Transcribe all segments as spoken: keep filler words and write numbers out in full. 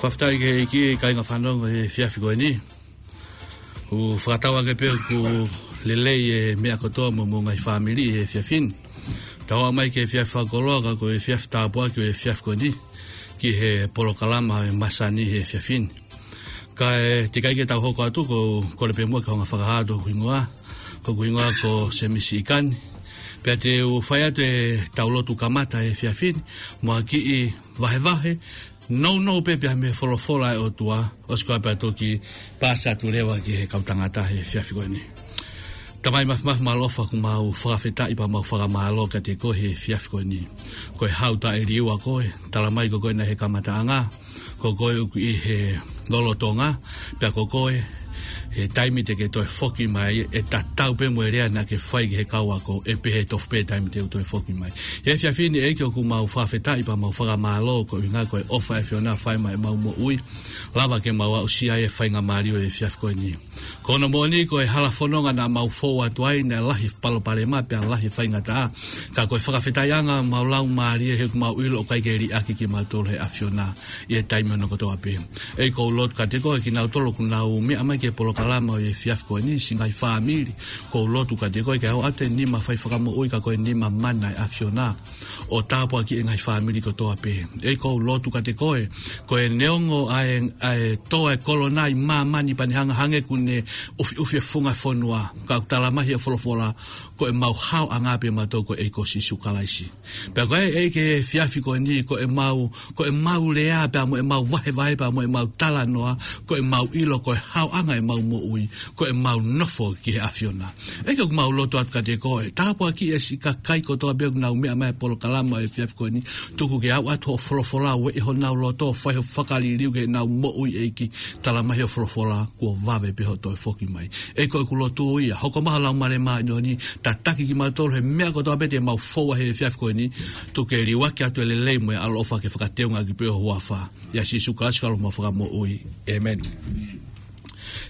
Fakafetaʻi ki he ʻEiki, kāinga fanongo, he efiafi ko eni. ʻOku fakatauange pē ʻoku lelei e meʻa kotoa mo hoʻomou ngaahi fāmili he efiafi ni. Tau aʻu mai ki he efiafi fakakoloa, ka ko e efiafi tāpuaki ʻo e efiafi ko eni ki he polokalama ʻo e masani he efiafi ni. Kae teʻeki ai ke tau hoko atu, ʻoku ou kole pē muʻa ke hanga ʻo fakahā atu hoku hingoa. Ko hoku hingoa ko Semisi ʻIkani. Pea te u fai atu ʻetau lotu kamata he efiafi ni mo ha kiʻi vahevahe nounou pē pea mei he folofola ʻa e ʻOtua, ʻosi ko ia pea toki paasi atu leva ki he kau tangata he efiafi ko eni. Tamai mafimafi mālō ʻofa, ʻoku mau fakafetaʻi pea mau fakamālō kiate koe he efiafi ko eni. Ko e hau taʻeliua koe, talamai ko koe naʻe ʻi he kamataʻanga, ko koe ʻoku ʻi he lolotonga, pea ko koe he taimi te ke toe foki mai, ʻe tatau pē mo e lea naʻa ke fai ki he kau ako, ʻe pehē tofu pē taimi te u toe foki mai. He efiafi ni ʻEiki, ʻoku mau fakafetaʻi pea mau fakamālō koeʻuhinga ko e ʻofa ʻa e ʻAfiona ʻoku fai maʻa ʻemau moʻui, lava ke mau aʻusia e faingamālie ʻo e efiafi ko eni. Ko hono moʻoni ko e hala fononga naʻa mau fou atu ai naʻe lahi palopalema pea lahi faingataʻa. Ka ko e fakafetaʻiʻanga ʻemau laumālie he ʻoku mau ʻilo ʻoku ʻikai ke liʻaki kimautolu ʻe he ʻAfiona ʻi he taimi ʻo e kotoa pē. ʻEiki, ʻoku ou lotu kiate koe kinautolu ʻoku nau meʻa mai ki he polokalama ʻo e efiafi ko eni, siʻi ngaahi fāmili. ʻOku ou lotu kiate koe ke ʻoatu e nima fai fakamoʻui ka ko e nima mana ʻa e ʻAfiona ʻo tāpuakiʻi e ngaahi fāmili kotoa pē. ʻEiki, ʻoku ou lotu kiate koe, ko e neongo ʻa e, ʻa e tō ʻa e kolona ʻi māmani pea ne hanga hangē ʻoku ne ʻufiʻufi e funga fonua, ka ʻoku talamai ʻe he folofola, ko ʻemau haoʻanga pē mautolu ko e ʻEiki ko Sīsū Kalaisi. Pea ko e ʻEiki he efiafi ko eni, ko ʻemau, ko ʻemau lea pea mo ʻemau vahevahe pea mo ʻemau talanoa, ko ʻemau ʻilo ko e haoʻanga ʻemau moʻui, ko ʻemau nofo ki he ʻAfiona. ʻEiki, ʻoku mau lotu atu kiate koe, tāpuakiʻi e siʻi kakai kotoa pē ʻoku nau meʻa mai he polokalama ʻo e efiafi ko eni, tuku ke aʻu atu hoʻo folofola ʻo ueʻi honau loto, fai hoʻo fakaliliu ki heʻenau moʻui ʻEiki, talamai ʻe he folofola, kuo vave pē hoʻo toe foki mai. ʻEiki, ko ʻeku lotu ia, hoko mai ho Laumālie Māʻoniʻoni, tataki kimautolu he meʻa kotoa pē te mau fou ai he efiafi ko eni, tuku ke liuaki atu e lelei mo e ʻaloʻofa ke fakateungaʻaki pē ho huafa. ʻIa Sīsū Kalaisi ko homau Fakamoʻui. ʻĒmeni.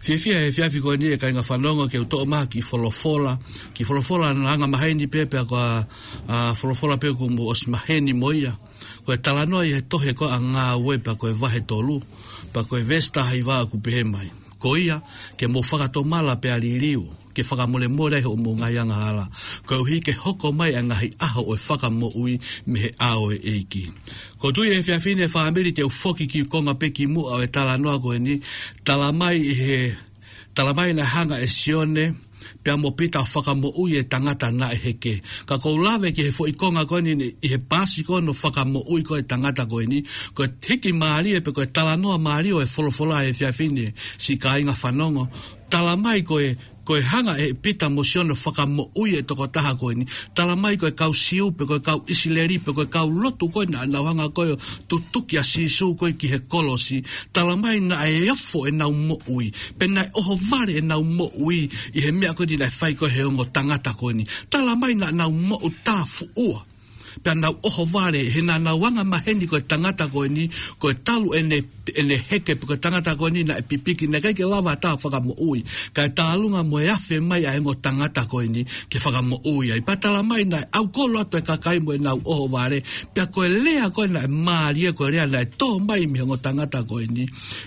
Fiefia he efiafi ko eni ʻe kāinga fanongo ke u toʻo mai ha kiʻi folofola, kiʻi folofola naʻe anga maheni pē pea ko e, ʻa, folofola pē ʻoku mou ʻosi maheni mo ia. Ko e talanoa ʻi he tohi ko ia ʻa Ngāue pea ko e vahe tolu, pea ko e veesi taha hiva ʻoku pehē mai: Ko ia, ke mou fakatomala pea liliu, ke fakamolemole ai hoʻomou ngaahi angahala, koeʻuhi ke hoko mai ʻa e ngaahi ʻaho ʻo e fakamoʻui mei he ʻao ʻo e ʻEiki. ʻOku ou tui he efiafi ni ʻe fāmili te u foki ki konga pē ki muʻa ʻo e talanoa ko eni, talamai ʻi he, talamai naʻe hanga ʻe Sione pea mo Pita ʻo fakamoʻui e tangata naʻe heke. Ka ʻoku ou lave ki he foʻi konga ko eni ʻi he paasi ko eni ʻo fakamoʻui ko ē e tangata ko eni, ko e hiki mālie pē ko e talanoa mālie ʻo e folofola he efiafi ni, siʻi kāinga fanongo. Talamai ko e, ko e hanga ʻe Pita mo Sione ʻo fakamoʻui e tokotaha ko eni, talamai ko e kau Siu pe ko e kau ʻIsileli pe ko e kau lotu ko ē naʻa nau hanga ko ē ʻo tutuki ʻa Sīsū ko ē ki he kolosi, talamai naʻe ofo ʻenau moʻui, pe naʻe ʻohovale ʻenau moʻui ʻi he meʻa ko eni naʻe fai ko ē ʻe he ongo tangata ko eni. Talamai naʻa nau moʻutāfuʻua pea nau ʻohovale, he naʻa nau anga maheni ko e tangata ko eni, ko e talu ʻene, ʻene heke pe ko e tangata ko eni naʻe pipiki, naʻe ʻikai ke lava ha taha ʻo fakamoʻui. Kae tālunga mo e afe mai ʻa e ongo tangata ko eni ke fakamoʻui ai. Pea talamai naʻe ʻaukolo atu e kakai mo ʻenau ʻohovale, pea ko e lea ko ē naʻe mālie, ko e lea naʻe tō mai mei he ongo tangata ko eni.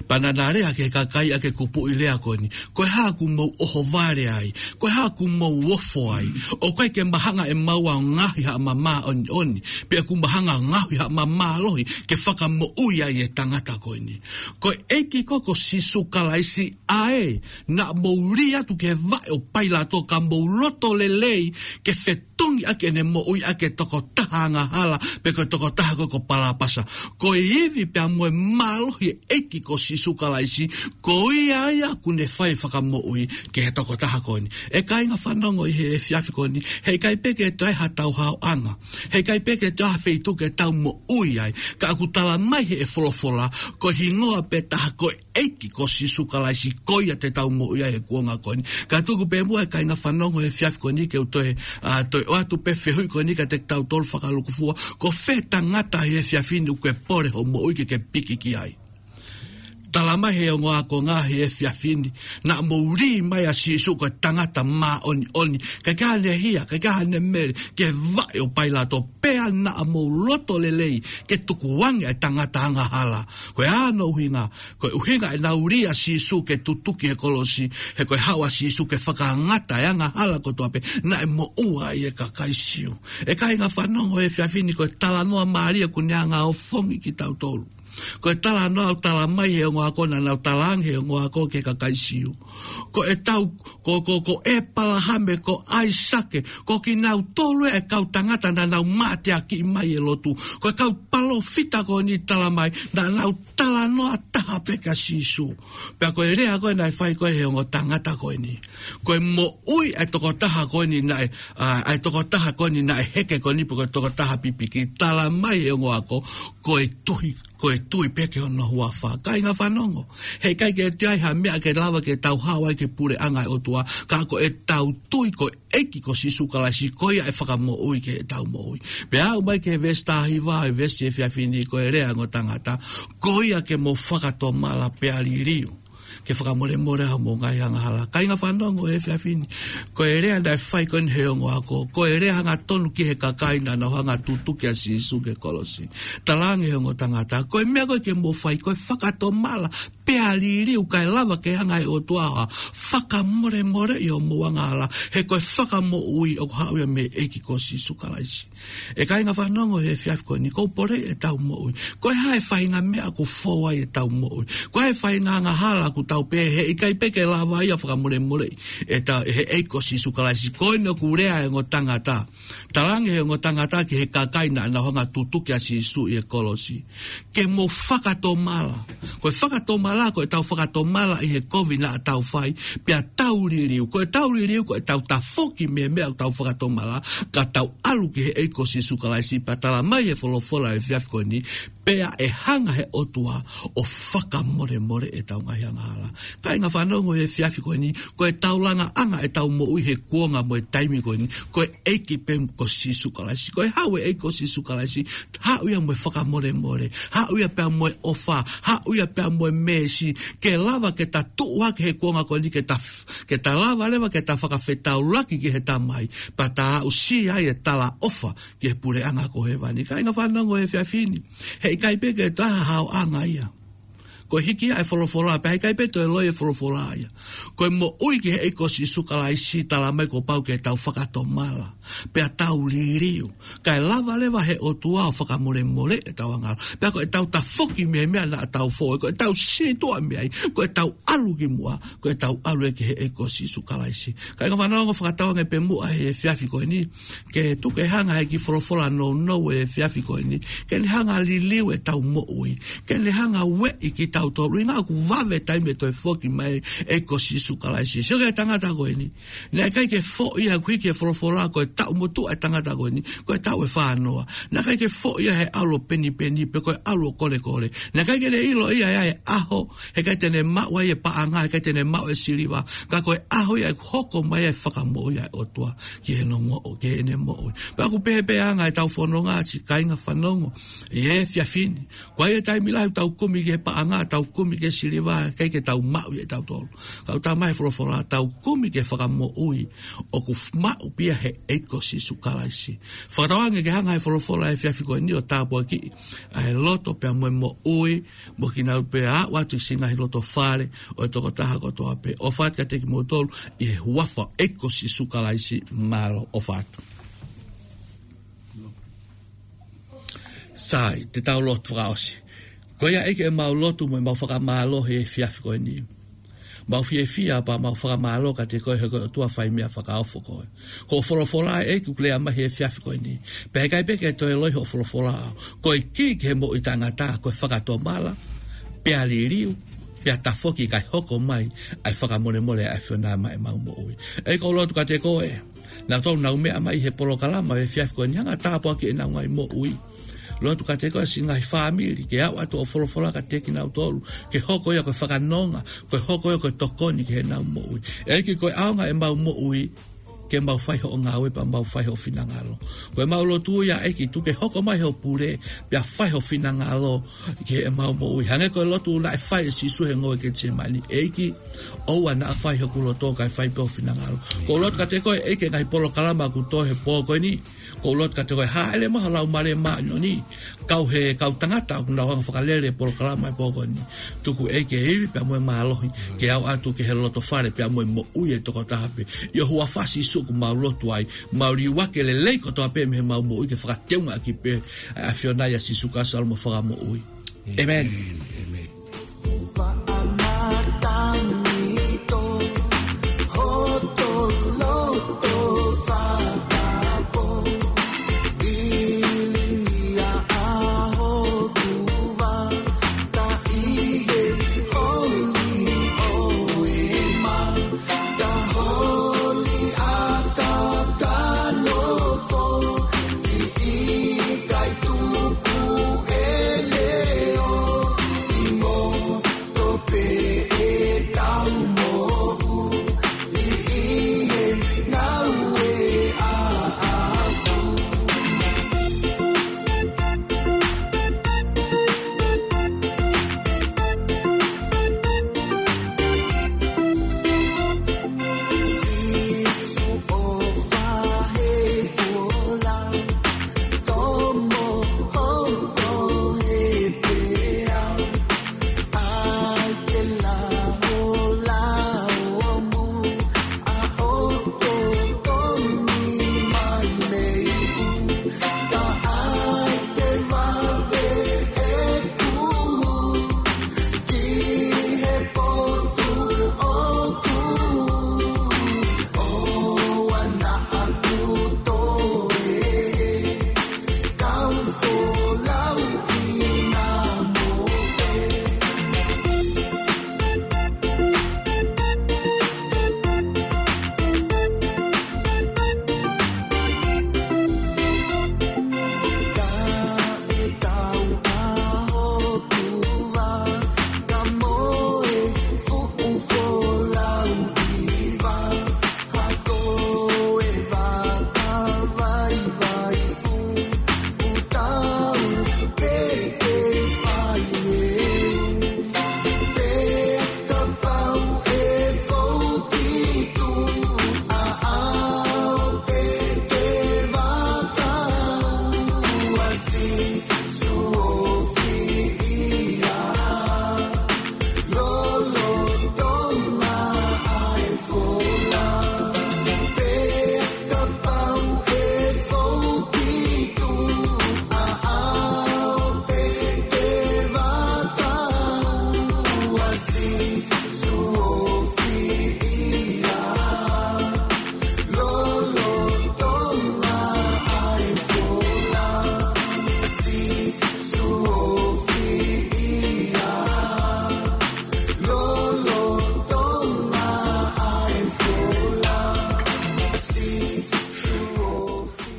Pea naʻa na lea ki he kakai ʻaki e kupuʻi lea ko eni: Ko e hā ʻoku mou ʻohovale ai? Ko e hā ʻoku mou ofo ai? ʻOku ʻikai ke mahanga ʻemau ʻa ngaohi haʻama māʻoniʻoni, pe ʻoku mahanga ngaohi haʻama mālohi ke fakamoʻui ai e tangata ko eni. Ko e ʻEiki ko ē ko Sīsū Kalaisi, ʻa ē naʻa mou lī atu ki he vaʻe ʻo Pailato ka mou loto lelei ke fetongi ʻaki ʻene moʻui ʻaki e tokotaha angahala, pe ko e tokotaha ko ē ko Palāpasa. Ko e ivi pea mo e mālohi e ʻEiki ko Sīsū Kalaisi, ko ia ia ʻoku ne fai e fakamoʻui ki he tokotaha ko eni. ʻE kāinga fanongo ʻi he efiafi ko eni, heʻikai pē ke toe ai hatau haoʻanga, heʻikai pē ke toe ai ha feituʻu ke tau moʻui ai, ka ʻoku talamai ʻe he folofola, ko e hingoa pē taha ko e ʻEiki ko Sīsū Kalaisi, ko ia te tau moʻui ai he kuonga ko eni. Ka tuku pē muʻa e kāinga fanongo he efiafi ko eni ke u toe, ʻa, toe ʻoatu pē fehuʻi ko eni kiate kitautolu fakalūkufua: Ko fē tangata he efiafi ni ʻoku ke pole hoʻo moʻui ke ke piki ki ai? Talamai ʻe he ongo ākonga he efiafi ni, naʻa mou lī mai ʻa Sīsū ko e tangata māʻoniʻoni, ʻikai ke ʻi ai haʻane hia, ʻikai ke ʻi ai haʻane mele, ki he vaʻe ʻo Pailato, pea naʻa mou loto lelei ke tukuange ʻa e tangata angahala. Ko hono ʻuhinga, ko e ʻuhinga ʻenau lī ʻa Sīsū ke tutuki he kolosi, he ko e haʻu ʻa Sīsū ke fakangata ʻa e angahala kotoa pē naʻe moʻua ai ʻa e kakai Siu. ʻE kāinga fanongo he efiafi ni, ko e talanoa mālie ʻoku ne hanga ʻo ofongi kitautolu. Ko e talanoa ʻoku talamai ʻe he ongo ākonga, naʻa nau talaange ʻe he ongo ākonga ki he kakai Siu, ko ʻetau, ko, ko, ko ʻĒpalahame, ko ʻAisake, ko kinautolu ʻa e kau tangata naʻa nau mateakiʻi mai ʻi he lotu. Ko e kau palōfita ko eni talamai, naʻa nau talanoa taha pē kia Sīsū. Pea ko e lea ko ē naʻe fai ko ē ʻe he ongo tangata ko eni, ko e moʻui ʻa e tokotaha ko eni naʻe, ʻa, ʻa e tokotaha ko eni naʻe heke ko eni, pe ko e tokotaha pipiki, talamai ʻe he ongo ākonga, ko e tui, ko e tui pē ki hono huafa. Kāinga fanongo, heʻikai ke toe ʻi ai ha meʻa ke lava ke tau haʻu ai ki he puleʻanga ʻo e ʻOtua, ka ko ʻetau tui ko e ʻEiki ko Sīsū Kalaisi, ko ia ʻe fakamoʻui ki heʻetau moʻui. Pea aʻu mai ki he veesi taha hiva ʻo e veesi efiafi ni, ko e lea ʻa e ongo tangata, ko ia ke mo fakatomala pea liliu, ke fakamolemole ʻa hoʻomou ngaahi angahala. Kāinga fanongo he efiafi ni, ko e lea naʻe fai ko eni ʻe he ongo ākonga, ko e lea hangatonu ki he kakai naʻa nau hanga ʻo tutuki ʻa Sīsū ki he kolosi. Talaange ʻe he ongo tangata, ko e meʻa ko ē ke mo fai, ko e fakatomala pea liliu, kae lava ke hanga ʻe he ʻOtua ʻo fakamolemoleʻi hoʻomou angahala, he ko e fakamoʻui ʻoku haʻu ia mei he ʻEiki ko Sīsū Kalaisi. ʻE kāinga fanongo he efiafi ko eni, ʻoku ou poleʻi ʻetau moʻui. Ko e hā e faʻahinga meʻa ʻoku fou ai ʻetau moʻui? Ko e hā e faʻahinga angahala ʻoku tau pehē heʻikai pē ke lava ia ʻo fakamolemoleʻi ʻe ta-, ʻe he ʻEiki ko Sīsū Kalaisi? Ko eni ʻoku lea ʻa e ongo tangata. Talaange ʻe he ongo tangata ki he kakai naʻa nau hanga ʻo tutuki ʻa Sīsū ʻi he kolosi, ke mo fakatomala. Ko e fakatomala, ko ʻetau fakatomala ʻi he kovi naʻa tau fai, pea tau liliu. Ko ʻetau liliu, ko ʻetau tafoki mei he meʻa ʻoku tau fakatomala, ka tau ʻalu ki he ʻEiki ko Sīsū Kalaisi, pea talamai ʻe he folofola he efiafi ko eni, pea ʻe hanga ʻe he ʻOtua ʻo fakamolemoleʻi ʻetau ngaahi angahala. Kāinga fanongo he efiafi ko eni, ko e taulaʻanga ʻa ʻetau moʻui he kuonga mo e taimi ko eni, ko e ʻEiki pē ko Sīsū Kalaisi. Ko e haʻu e ʻEiki ko Sīsū Kalaisi, haʻu ia mo e fakamolemole, haʻu ia pea mo e ʻofa, haʻu ia pea mo e meesi, ke lava ke ta tuʻu hake he kuonga ko eni, ke ta f-, ke ta lava leva ke ta fakafetaulaki ki he Tamai, pea ta aʻusia ai e talaʻofa ki he puleʻanga ko hēvani. Kāinga fanongo he efiafi ni, heʻikai pē ke toe ʻi ai ha haoʻanga ia. Ko e hiki ia e folofola, pea heʻikai pē toe loi e folofola ia. Ko e moʻui ki he ʻEiki ko Sīsū Kalaisi, talamai kuo pau ke tau fakatomala, pea tau liliu, kae lava leva ʻe he ʻOtua ʻo fakamolemoleʻi ʻetau angahala. Pea ko ʻetau tafoki mei he meʻa naʻa tau fou ai, ko ʻetau sītuʻa mei ai, ko ʻetau ʻalu ki muʻa, ko ʻetau ʻalu ia ki he ʻEiki ko Sīsū Kalaisi. Kāinga fanongo, fakatauange pē muʻa he efiafi ko eni, ke tuku ke hanga ʻe he kiʻi folofola nounou he efiafi ko eni, ke ne hanga ʻo liliu ʻetau moʻui, ke ne hanga ʻo ueʻi kitautolu, ʻuhinga ʻoku vave e taimi ʻe toe foki mai e ʻEiki ko Sīsū Kalaisi. Sio ki he tangata ko eni. Naʻe ʻikai ke foʻi ia, ʻoku hiki he folofola ko e taʻu motuʻa e tangata ko eni, ko e taʻu ʻe fā noa. Naʻe ʻikai ke foʻi ia he ʻalu ʻo penipeni, pe ko e ʻalu ʻo kolekole. Naʻe ʻikai ke ne ʻilo ia ʻa e ʻaho heʻikai te ne maʻu ai e paʻanga, heʻikai te ne maʻu e siliva, ka ko e ʻaho ia ʻe hoko mai ai e fakamoʻui ʻa e ʻOtua ki heʻene moʻu-, ki heʻene moʻui. Pea ʻoku pehē pē ʻa e anga ʻetau fononga, siʻi kāinga fanongo, ʻi he efiafi ni. Ko e taimi lahi ʻoku tau kumi ki he paʻanga, tau kumi ki he siliva, ʻikai ke tau maʻu ia ʻe tautolu. Ka ʻoku talamai ʻe he folofola, tau kumi ki he fakamoʻui ʻoku f-, maʻu pē ia ʻe he ʻEiki ko Sīsū Kalaisi. Fakatauange ke hanga ʻe he folofola he efiafi ko eni ʻo tāpuakiʻi ʻa e loto pea mo e moʻui, mo kinautolu pea aʻu atu ki he ngaahi loto fale ʻo e tokotaha kotoa pē. ʻOfa atu kiate kimoutolu ʻi he huafa ʻo e ʻEiki ko Sīsū Kalaisi, mālō, ʻofa atu. Sai, te tau lotu fakaʻosi. Ko ia ʻEiki, ʻemau lotu mo ʻemau fakamālō he efiafi ko eni. Mau fiefia pea mau fakamālō kiate koe he ko e ʻOtua fai meʻa fakaofo koe. Ko hoʻo folofola ʻEiki ʻoku lea mai he efiafi ko eni. Pea heʻikai pē ke toe loi hoʻo folofola. Ko e kī ki he moʻui taʻengata, ko e fakatomala, pea liliu, pea tafoki kae hoko mai ʻa e fakamolemole ʻa e ʻAfiona maʻa ʻemau moʻui. ʻEiki, ʻoku ou lotu kiate koe. Naʻa tau nau meʻa mai he polokalama he efiafi ko eni, hanga ʻo tāpuakiʻi ʻenau ngaahi moʻui. Lotu kiate koe siʻi ngaahi fāmili, ke aʻu atu hoʻo folofola kiate kinautolu, ke hoko ia ko e fakanonga, ke hoko ia ko e tokoni ki heʻenau moʻui. ʻEiki, ko e ʻaonga ʻemau moʻui, ke mau fai hoʻo ngāue pea mau fai hoʻo finangalo. Ko ʻemau lotu ia ʻEiki, tuku ke hoko mai hoʻo pule, pea fai hoʻo finangalo ki heʻemau moʻui. Hangē ko e lotu naʻe fai ʻe Sīsū he ngoue Ketisemani. ʻEiki, ʻoua naʻa fai hoku loto kae fai pē ho finangalo. Ko e lotu kiate koe ʻEiki, ngaahi polokalama kuo tō he pō ko eni. Ko e lotu kiate koe, hāʻele mai ho Laumālie Māʻoniʻoni, kau he kau tangata ʻoku nau hanga fakalele polokalama he pō ko eni. Tuku ʻEiki e ivi pea mo e mālohi, ke aʻu atu ki he loto fale pea mo e moʻui ʻa e tokotaha pē. ʻI ho huafa Sīsū ʻoku mau lotu ai, mau liuaki e lelei kotoa pē mei heʻemau moʻui ke fakateungaʻaki pē ʻa e ʻAfiona ʻia Sīsū Kalaisi ʻa e Fakamoʻui. ʻĒmeni. ʻĒmeni.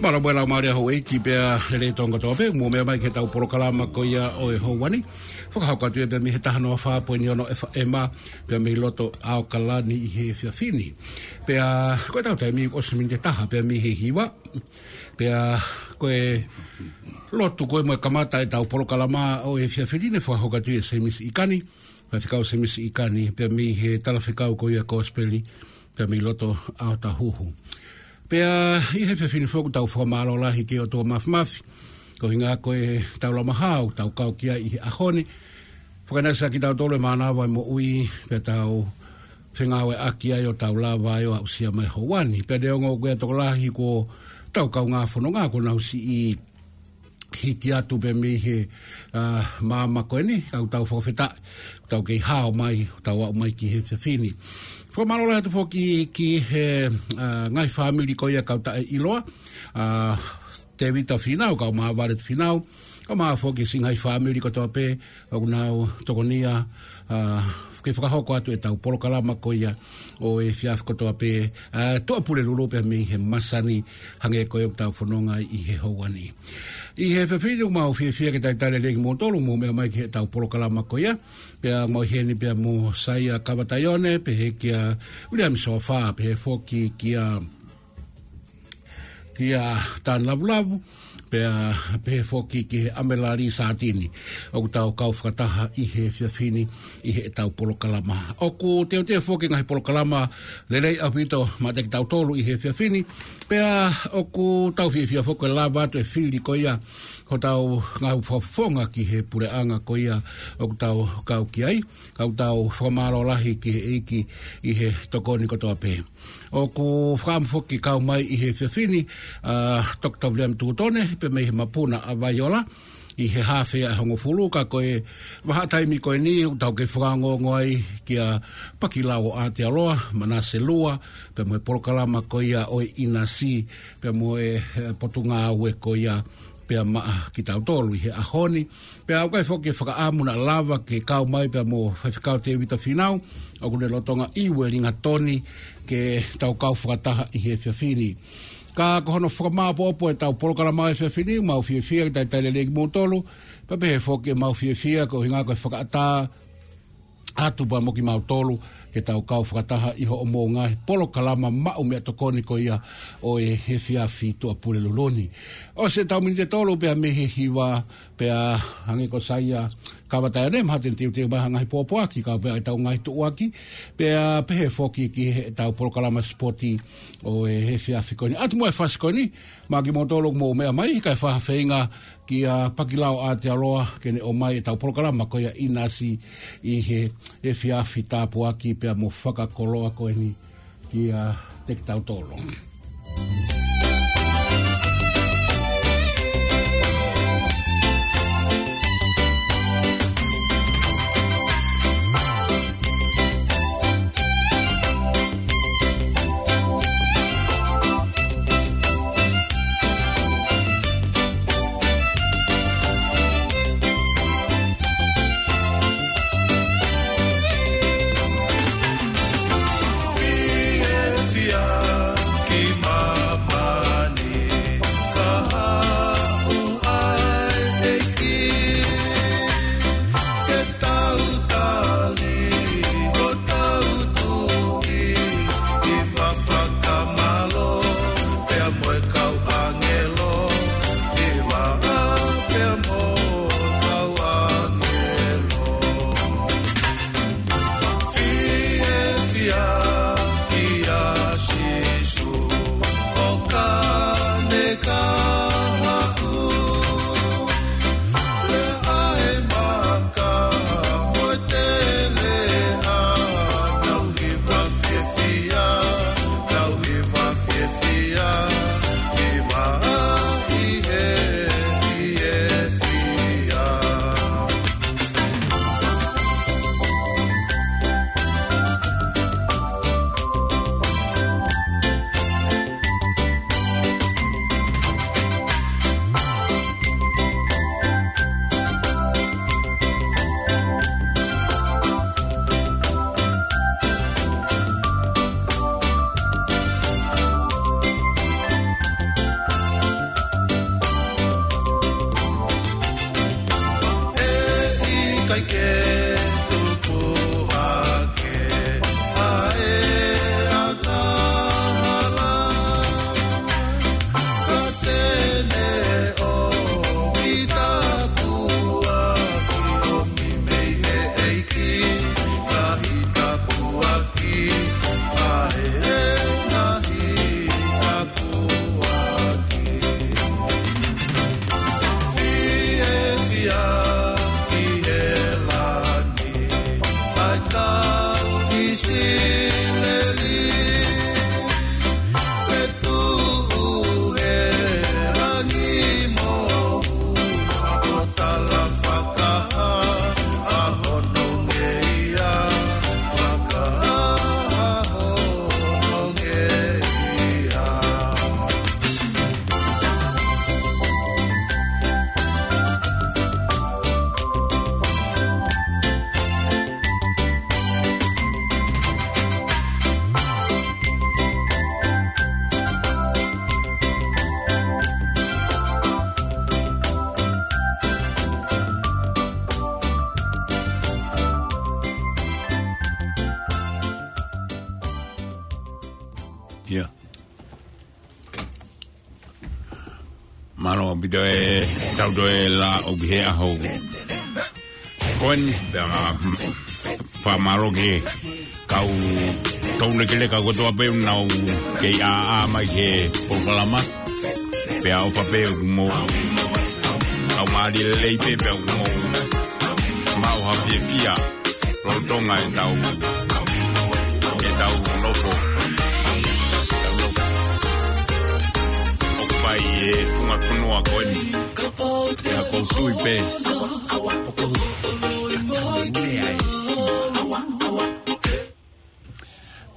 Mālō muʻa e Laumālie ʻa houʻeiki pea lelei tonu kotoa pē, mou meʻa mai ki heʻetau polokalama ko ia ʻo e houa ni. Fakahoko atu ia pea mei he taha noa fā poini ono F M, pea mei loto ʻAokalani ʻi he efiafi ni. Pea ko ʻetau taimi ʻosi miniti ʻe taha pea mei he hiva. Pea ko e lotu ko ē mo e kamata ʻetau polokalama ʻo e efiafi ni naʻe fakahoko atu ʻe Semisi ʻIkani, Faifekau Semisi ʻIkani, pea mei he talafekau ko ia Kosipeli, pea mei loto ʻAotahuhu. Pea ʻi he efiafi ni foki ʻoku tau fakamālō lahi ki he ʻOtua Māfimafi, ko e ʻuhinga ko ʻetau lava maʻu ha tau kau ki ai ʻi he ʻaho ni. Fakaʻinasi kiate kitautolu e mānava e moʻui, pea tau fengāueʻaki ai ʻo tau lava ai ʻo aʻusia mai e houa ni. Pea neongo ko e tokolahi ʻetau kaungā fononga kuo nau siʻi hiki atu pē mei he, ā, māmani ko eni, ʻoku tau fakafetaʻi, tau kei hao mai, tau aʻu mai ki he efiafi ni. Fakamālō lahi atu foki ki he, ā, ngaahi fāmili ko ia kau taʻeʻiloa, ā, Tēvita Fīnau, kau Māvale Fīnau, kae ʻumaʻā foki siʻi ngaahi fāmili kotoa pē, ʻoku nau tokonia, ā, ke fakahoko atu ʻetau polokalama ko ia ʻo e efiafi kotoa pē, ā, Tuʻapulelulu pea mei he masani hangē ko ia ʻoku tau fononga ai ʻi he houa ni. ʻI he efiafi ni ʻoku mau fiefia ke talitali lelei kimoutolu, mou meʻa mai ki heʻetau polokalama ko ia, pea mau ʻi heni pea mo Saia Kavataione, pehē kia Viliami Sofa, pehē foki kia Ia Tāne Lavulavu, pea pehē foki ki he ʻAmelali Sātini, ʻoku tau kau fakataha ʻi he efiafi ni ʻi heʻetau polokalama. ʻOku teuteu foki e ngaahi polokalama lelei ʻaupito maʻa kitautolu ʻi he efiafi ni, pea ʻoku tau fiefia foki ʻe lava atu e fili ko ia hotau ngaahi fakafofonga ki he puleʻanga ko ia ʻoku tau kau ki ai, kae tau fakamālō lahi ki he ʻEiki ʻi he tokoni kotoa pē. ʻOku fakaʻamu foki ke kau mai ʻi he efiafi ni ʻa Toketā Viliami Tūtone, pea mei he Mapuna ʻa Vaiola, ʻi he haafe ʻa e hongofulu, ka ko e vahaʻa taimi ko eni ʻoku tau kei fakaongoongo ai kia Pakilau ʻo Aotearoa, Manase Lua, pea mo e polokalama ko ia ʻo e ʻinasi, pea mo e, eh, potungāue ko ia pea maʻa kitautolu ʻi he ʻaho ni. Pea ʻoku ʻikai foki ke fakaʻamu naʻa lava ke kau mai pea mo Faifekau Tēvita Fīnau, ʻoku ne lolotonga ʻiu e lingatoni ke tau kau fakataha ʻi he efiafi ni. Ka ko hono fakamāʻopoʻopo ʻetau polokalama he efiafi ni, mau fiefia ke talitali lelei kimoutolu, pea pehē foki ʻemau fiefia koeʻuhinga ko e fakaʻatā atu pea mo kimautolu ke tau kau fakataha ʻi hoʻomou ngaahi polokalama maʻu meʻatokoni ko ia ʻo e efiafi Tuʻapulelulu ni. ʻOsi ʻetau miniti ʻe tolu pea mei he hiva, pea hangē ko Saia Kavataia ne maha te ne teuteu mai ha ngaahi pōpoaki, kau pea ʻetau ngaahi tuʻuaki, pea pehē foki ki heʻetau polokalama sipoti ʻo e efiafi ko eni. ʻAtu muʻa e fasi ko eni, maʻa kimoutolu ʻoku mou meʻa mai, kae fai ha feinga kia Pakilau ʻo Aotearoa ke ne ʻomai ʻetau polokalama ko ia ʻinasi ʻi he efiafi tāpuaki pea mo fakakoloa ko eni kiate kitautolu. Mālō ʻaupito e tau toe lau ki he ʻaho ko eni, pea fakamālō ki he kau toulekeleka kotoa pē ʻoku nau kei ʻāʻā mai he polokalama. Pea ʻofa pē ʻoku mou kau mālie lelei pē, pea ʻoku mou maʻu ha fiefia lolotonga e tau, e tau nofo. Tau nofo. ʻOku ʻi ai e funga fonua ko eni. Pea ʻoku ou tui pē.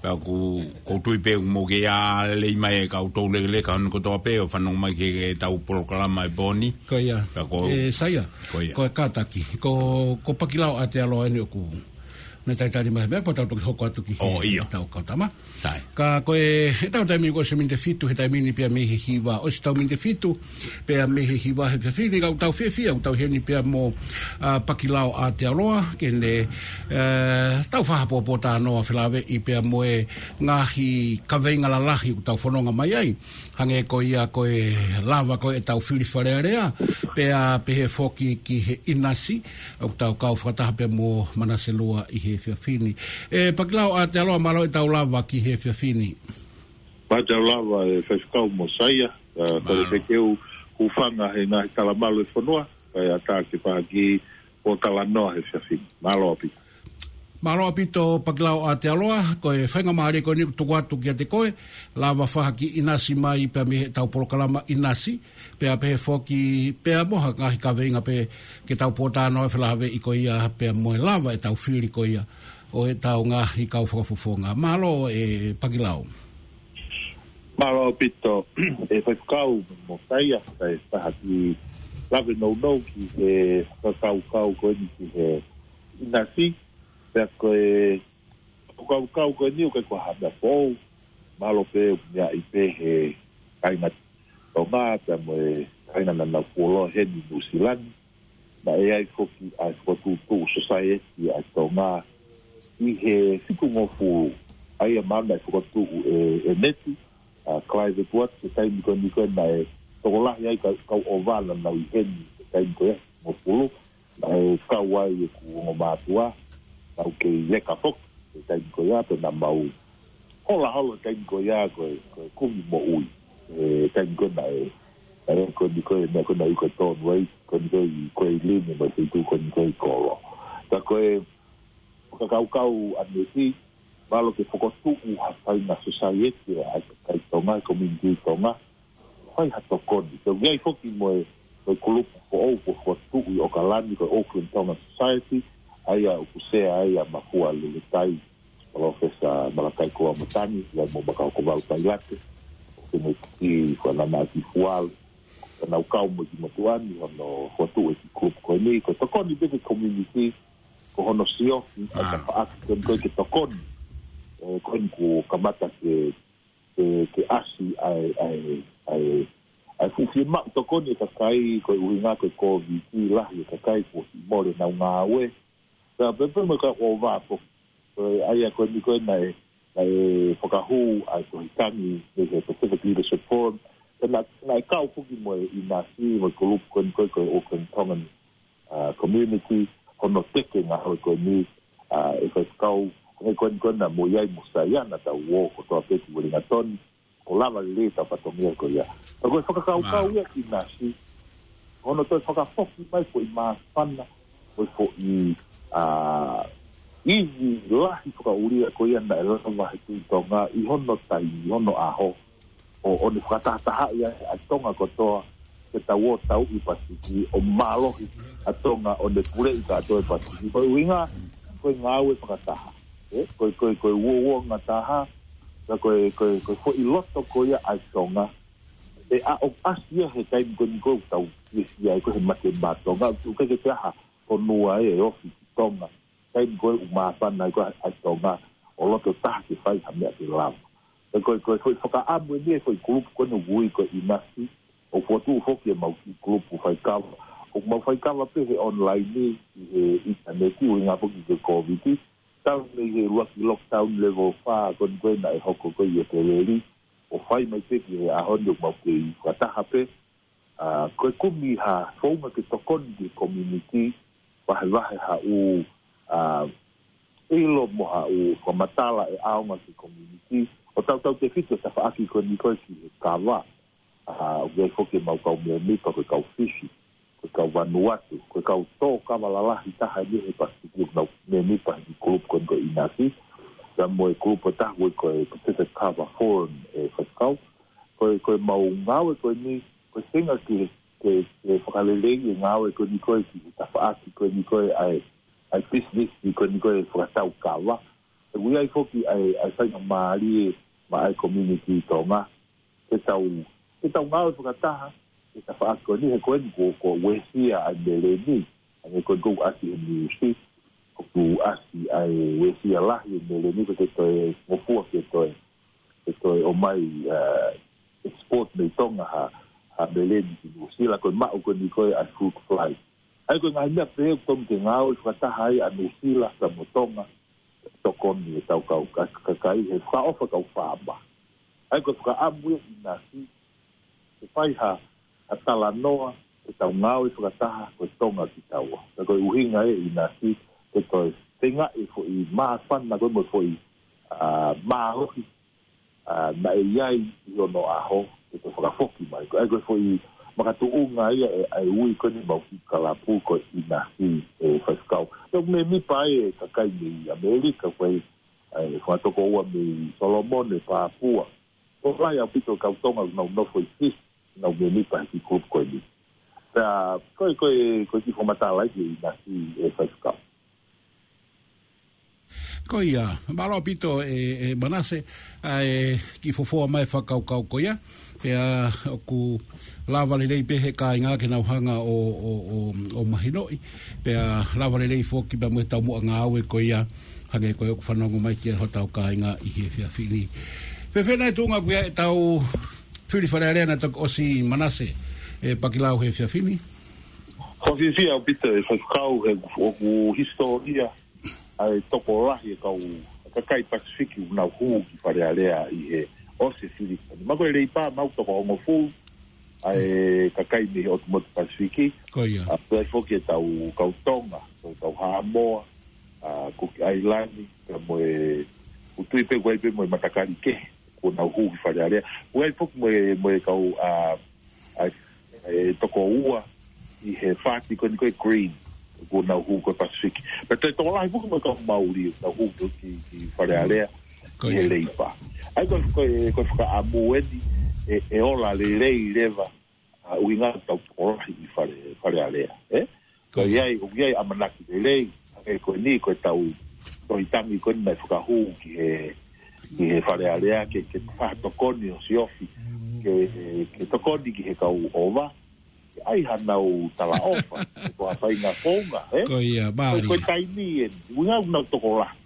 Pea ʻoku, ʻoku ou tui pē ʻoku mou kei ʻā lelei mai e kau toulekeleka hono kotoa pē ʻo fanongo mai ki he, ki he tau polokalama e pō ni. Ko ia. Pea ko e, Saia. Ko ia. Ko e kātaki. Ko, ko Pakilao ʻAtealoa eni ʻoku ne talitali mai he meʻa pea tau toki hoko atu ki he, ʻo, ʻio, tau kau tama. Sai. Ka ko e, he tau taimi ko e miniti ʻe fitu, he taimi ni pea mei he hiva. ʻOsi tau miniti ʻe fitu, pea mei he hiva he efiafi ni, ka ʻoku tau fiefia ʻoku tau ʻi heni pea mo, ʻa, Pakilao ʻAtealoa, ke ne, ē, tau fakapōpōtalanoa felāveʻi pea mo e ngaahi kaveinga lalahi ʻoku tau fononga mai ai. Hangē ko ia ko e lava ko e tau fili Fale Alea, pea pehē foki ki he ʻinasi, ʻoku tau kau fakataha pea mo Manase Lua ʻi he efiafi ni. ʻE, Pakilao ʻAtealoa, mālō e tau lava ki he efiafi ni. Mālō e tau lava e faifekau mo Saia, ʻa, ko e, mālō, fekeu hūfanga he ngaahi talamalu e fonua, kae ʻatā ke fai ha kiʻi pōtalanoa he efiafi ni. Mālō ʻaupito. Mālō ʻaupito Pakilao ʻAtealoa, ko e faingamālie ko eni ʻoku tuku atu kiate koe, lava fai ha kiʻi ʻinasi mai pea mei he tau polokalama ʻinasi, pea pehē foki pea mo ha ngaahi kaveinga pē ke tau pōtalanoa felāveʻi ko ia pea mo e lava e tau fili ko ia ʻo e tau ngaahi kau fakafofonga. Mālō e Pakilao. Mālō ʻaupito e faifekau mo Saia, kae fai ha kiʻi lave nounou ki he fakakaukau ko eni ki he ʻinasi, pea ko e fakakaukau ko eni ʻoku ʻikai ko ha meʻa foʻou, mahalo pē ʻoku meaʻi pē he kāinga Tonga, pea mo e kāinga naʻa nau fuoloa heni Nuʻusila ni. Naʻe ʻi ai foki ʻa e fokotuʻutuʻu society ʻa Tonga ʻi he fitungofulu, ʻa ia mahalo naʻe fokotuʻu ʻe, ʻe Neti, ʻa, Clive Edwards, he taimi ko eni ko ē naʻe tokolahi ai kau, kau ʻova naʻa nau ʻi heni he taimi ko ia, fitungofulu, naʻe kau ai ʻeku ongo mātuʻa, nau kei leka foki he taimi ko ia, pea naʻa mau hola holo he taimi ko ia ko e, ko e kumi moʻui. He taimi ko ē naʻe, naʻe ko eni ko e, naʻe ko eni ko e tonu ai, ko eni ko e ʻi, ko e ʻi Lini mo e feituʻu ko eni ko e ʻi Kolo. Ka ko e fakakaukau ʻa Neti, mahalo ke fokotuʻu ha faʻahinga society ʻa e kakai Tonga, community Tonga, fai ha tokoni. Pea ʻi ai foki mo e, mo e kulupu foʻou kuo fokotuʻu ʻi ʻOkalani ko e Auckland Tongan Society, ʻa ia ʻoku sea ai ʻa Mafua Leletai, Palōfesa Malakai Koloamatangi, ʻi ai mo Makaokovau Tailate, ʻo Kemeti Fanana Akifuale, ka nau kau mo e kiʻi motuʻa ni hono fokotuʻu e kiʻi kulupu ko eni, ko e tokoni pē ki he community, ko hono siofi, ʻa e, ah, tafaʻaki ko eni ko e ke tokoni. ʻE, ko eni kuo kamata ke, ke, ke ʻasi ʻa e, ʻa e, ʻa e, ʻa e fuʻu fiemaʻu tokoni e kakai, ko e ʻuhinga ko e Kōviti, lahi e kakai kuo ʻosi mole ʻenau ngāue. Pea pehē pē mo e kau ʻova foki. Ko e ʻa ia ko eni ko ē naʻe, naʻe fakahū ʻa e Tohi Tangi mei he Pacific Leadership Forum. Pea naʻe, naʻe kau foki mo e ʻinasi, mo e kulupu ko eni ko e, ko e Auckland Tongan, ʻa, Community, hono teke ngāue ko eni, ʻa, e faifekau, ko e ko eni ko ē naʻa mo ʻi ai mo Saia naʻa tau ō kotoa pē ki Uelingatoni, ʻo lava lelei e tau fatongia ko ia. Ka ko e fakakaukau, mālō, ia ʻinasi, hono toe fakafoki mai foʻi māfana, foʻi, foʻi, ʻa, ivi lahi fakaʻulia ko ia naʻe lava he Tuʻi Tonga ʻi hono taimi, ʻi hono ʻaho, ʻo, ʻo ne fakatahatahaʻi ai ʻa Tonga kotoa, ke tau ō tauʻi Pasifiki, ʻo mālohi ʻa Tonga, ʻo ne puleʻi kātoa e Pasifiki. Ko e ʻuhinga, ko e ngāue fakataha. ʻE, ko e, ko e, ko e uouongataha, ka ko e, ko e, ko e foʻi loto ko ia ʻa Tonga. ʻE, ʻa, ʻoku ʻasi ia he taimi ko eni ko ē ʻoku tau fiefia ai ko ē he mate mā Tonga, ʻoku ʻikai ke ʻi ai ha fonua ʻe ofi ki Tonga. Taimi ko ē ʻoku māfana ai ko ē ʻa Tonga, ʻo loto taha ke fai ha meʻa ke lava. Ko e, ko e, ko e fakaʻamu eni e foʻi kulupu ko eni ʻoku ui ko e ʻinasi, ʻoku fokotuʻu foki ʻemau kiʻi kulupu faikava. ʻOku mau faikava pē he online ni, ʻi he ʻinitaneti, ʻuhinga foki ki he Kōviti. Talu mei he ʻuluaki lockdown level fā ko eni ko ē naʻe hoko ko ē ʻi ʻEpeleli, ʻo fai mai pē ki he ʻaho ni ʻoku mau kei fakataha pē, ʻa, ko e kumi ha founga ke tokoni ki he community, vahevahe haʻu, ʻa, ʻilo mo haʻu fakamatala ʻe ʻaonga ki he community, ʻo tautautefito e tafaʻaki ko eni ko ē ki he kava, ʻa, ʻoku ʻi ai foki ʻemau kau mēmipa ko e kau Fisi, ko e kau Vanuatu, ko e kau tō kava lalahi taha eni he Pasifiki ʻoku nau mēmipa he group ko eni ko e ʻinasi, pea mo e group ʻe taha ko e Pacific Kava Forum ʻe faifekau, ko e, ko ʻemau ngāue ko eni, ko e tenga ke, ke, ke fakaleleiʻi e ngāue ko eni ko ē ki he tafaʻaki ko eni ko ē ʻa e, ʻa e business ko eni ko ē fakatau kava. ʻOku ʻi ai foki ʻa e, ʻa e faingamālie maʻa e community Tonga. Ke tau, ke tau ngāue fakataha, ke tafaʻaki ko eni he ko eni ko, ko e uesia ʻa e meleni, ʻa e ko eni ko e ʻasi he niusi, ʻoku ʻasi ʻa e uesia lahi e meleni ko e toe ngofua ke toe, ke toe ʻomai, ʻa, export mei Tonga ha, ha meleni ki Nuʻusila ko e maʻu ko eni ko ē ʻa e fruit fly. ʻA ia ko e ngaahi meʻa pehē ʻoku tonu ke ngāue fakataha ai ʻa Nuʻusila pea mo Tonga, tokoni e tau kau ka-, kakai he fakaʻofa kau fāma. ʻA ia ko e fakaʻamu ia ʻinasi, ke fai ha, ha talanoa, ke tau ngāue fakataha, ko e Tonga kitaua. Pea ko e ʻuhinga ia ʻinasi, ke toe feingaʻi e foʻi māfana ko ē mo e foʻi, ʻa, mālohi, ʻa, naʻe ʻi ai ʻi onoʻaho, ke toe fakafoki mai. Ko e, ko e foʻi makatuʻunga ia ʻe, ʻa e ui ko eni ʻemau kiʻi kalapu ko e ʻinasi ʻe faifekau. Pea ʻoku mēmipa ai e kakai mei ʻAmelika, ko e, ʻa e fanga tokoua mei Solomone, Papua. Ko e lahi ʻaupito e kau Tonga ʻoku nau nofo ʻi Fisi, nau mēmipa he kiʻi group ko eni. Pea, ko e, ko e, ko e kiʻi fakamatala ia ki he ʻinasi ʻe faifekau. Ko ia, mālō ʻaupito ʻe, ʻe Manase, ʻa e kiʻi fofoa mai fakakaukau ko ia, pea ʻoku lava lelei pē he kāinga ke nau hanga ʻo, ʻo, ʻo, ʻo mahinoʻi, pea lava lelei foki pea mo e taumuʻa ngāue ko ia, hangē ko ē ʻoku fanongo mai ki ai hotau kāinga ʻi he efiafi ni. Fēfē nai e tuʻunga pē ʻetau fili Fale Alea naʻe toki ʻosi Manase, ʻe Pakilau he efiafi ni? Fakafiefia ʻaupito e faifekau he ʻoku hisitōlia ʻa e tokolahi e kau kakai Pasifiki ʻoku nau hū ki Fale Alea ʻi he ʻosi e fili. Mau ko e Leipa, mau toko hongofulu ʻa e kakai mei he ʻotu motu Pasifiki. Ko ia. ʻA, pea foki e tau kau Tonga, ko e kau Haʻamoa, ʻa, Kuki ʻAilani, pea mo e, ʻoku ou tui pē ʻoku ʻi ai pē mo e matakali kehe, kuo nau hū ki Fale Alea. ʻOku ʻi ai foki mo e, mo e kau, ʻa, ʻa, e toko ua ʻi he fāti ko eni ko e Green, kuo nau hū ko e Pasifiki. Pea toe tokolahi foki mo e kau Mauli, nau hū ki, ki Fale Alea, Ko ʻi he ia. Leipa. ʻA ia ko, ko, ko e fakaʻamu eni, ʻe, ʻe ola lelei leva, ʻa, ʻuhinga tau tokolahi ʻi Fale, Fale Alea, ē? Ko Ko ia. ʻI ai, ʻoku ʻi ai ʻamanaki lelei, ʻa e ko eni, ko e tau, ko e tangi ko eni naʻe fakahū ki he, ki he Fale Alea, ke, ke fakatokoni ʻo siofi, ke, ke tokoni ki he kau ʻova, ke ʻai hanau talaʻofa, ko ha faʻahinga founga, ē? Ko ia, Ko, mālie. ko e taimi eni, ʻuhinga ʻoku nau tokolahi.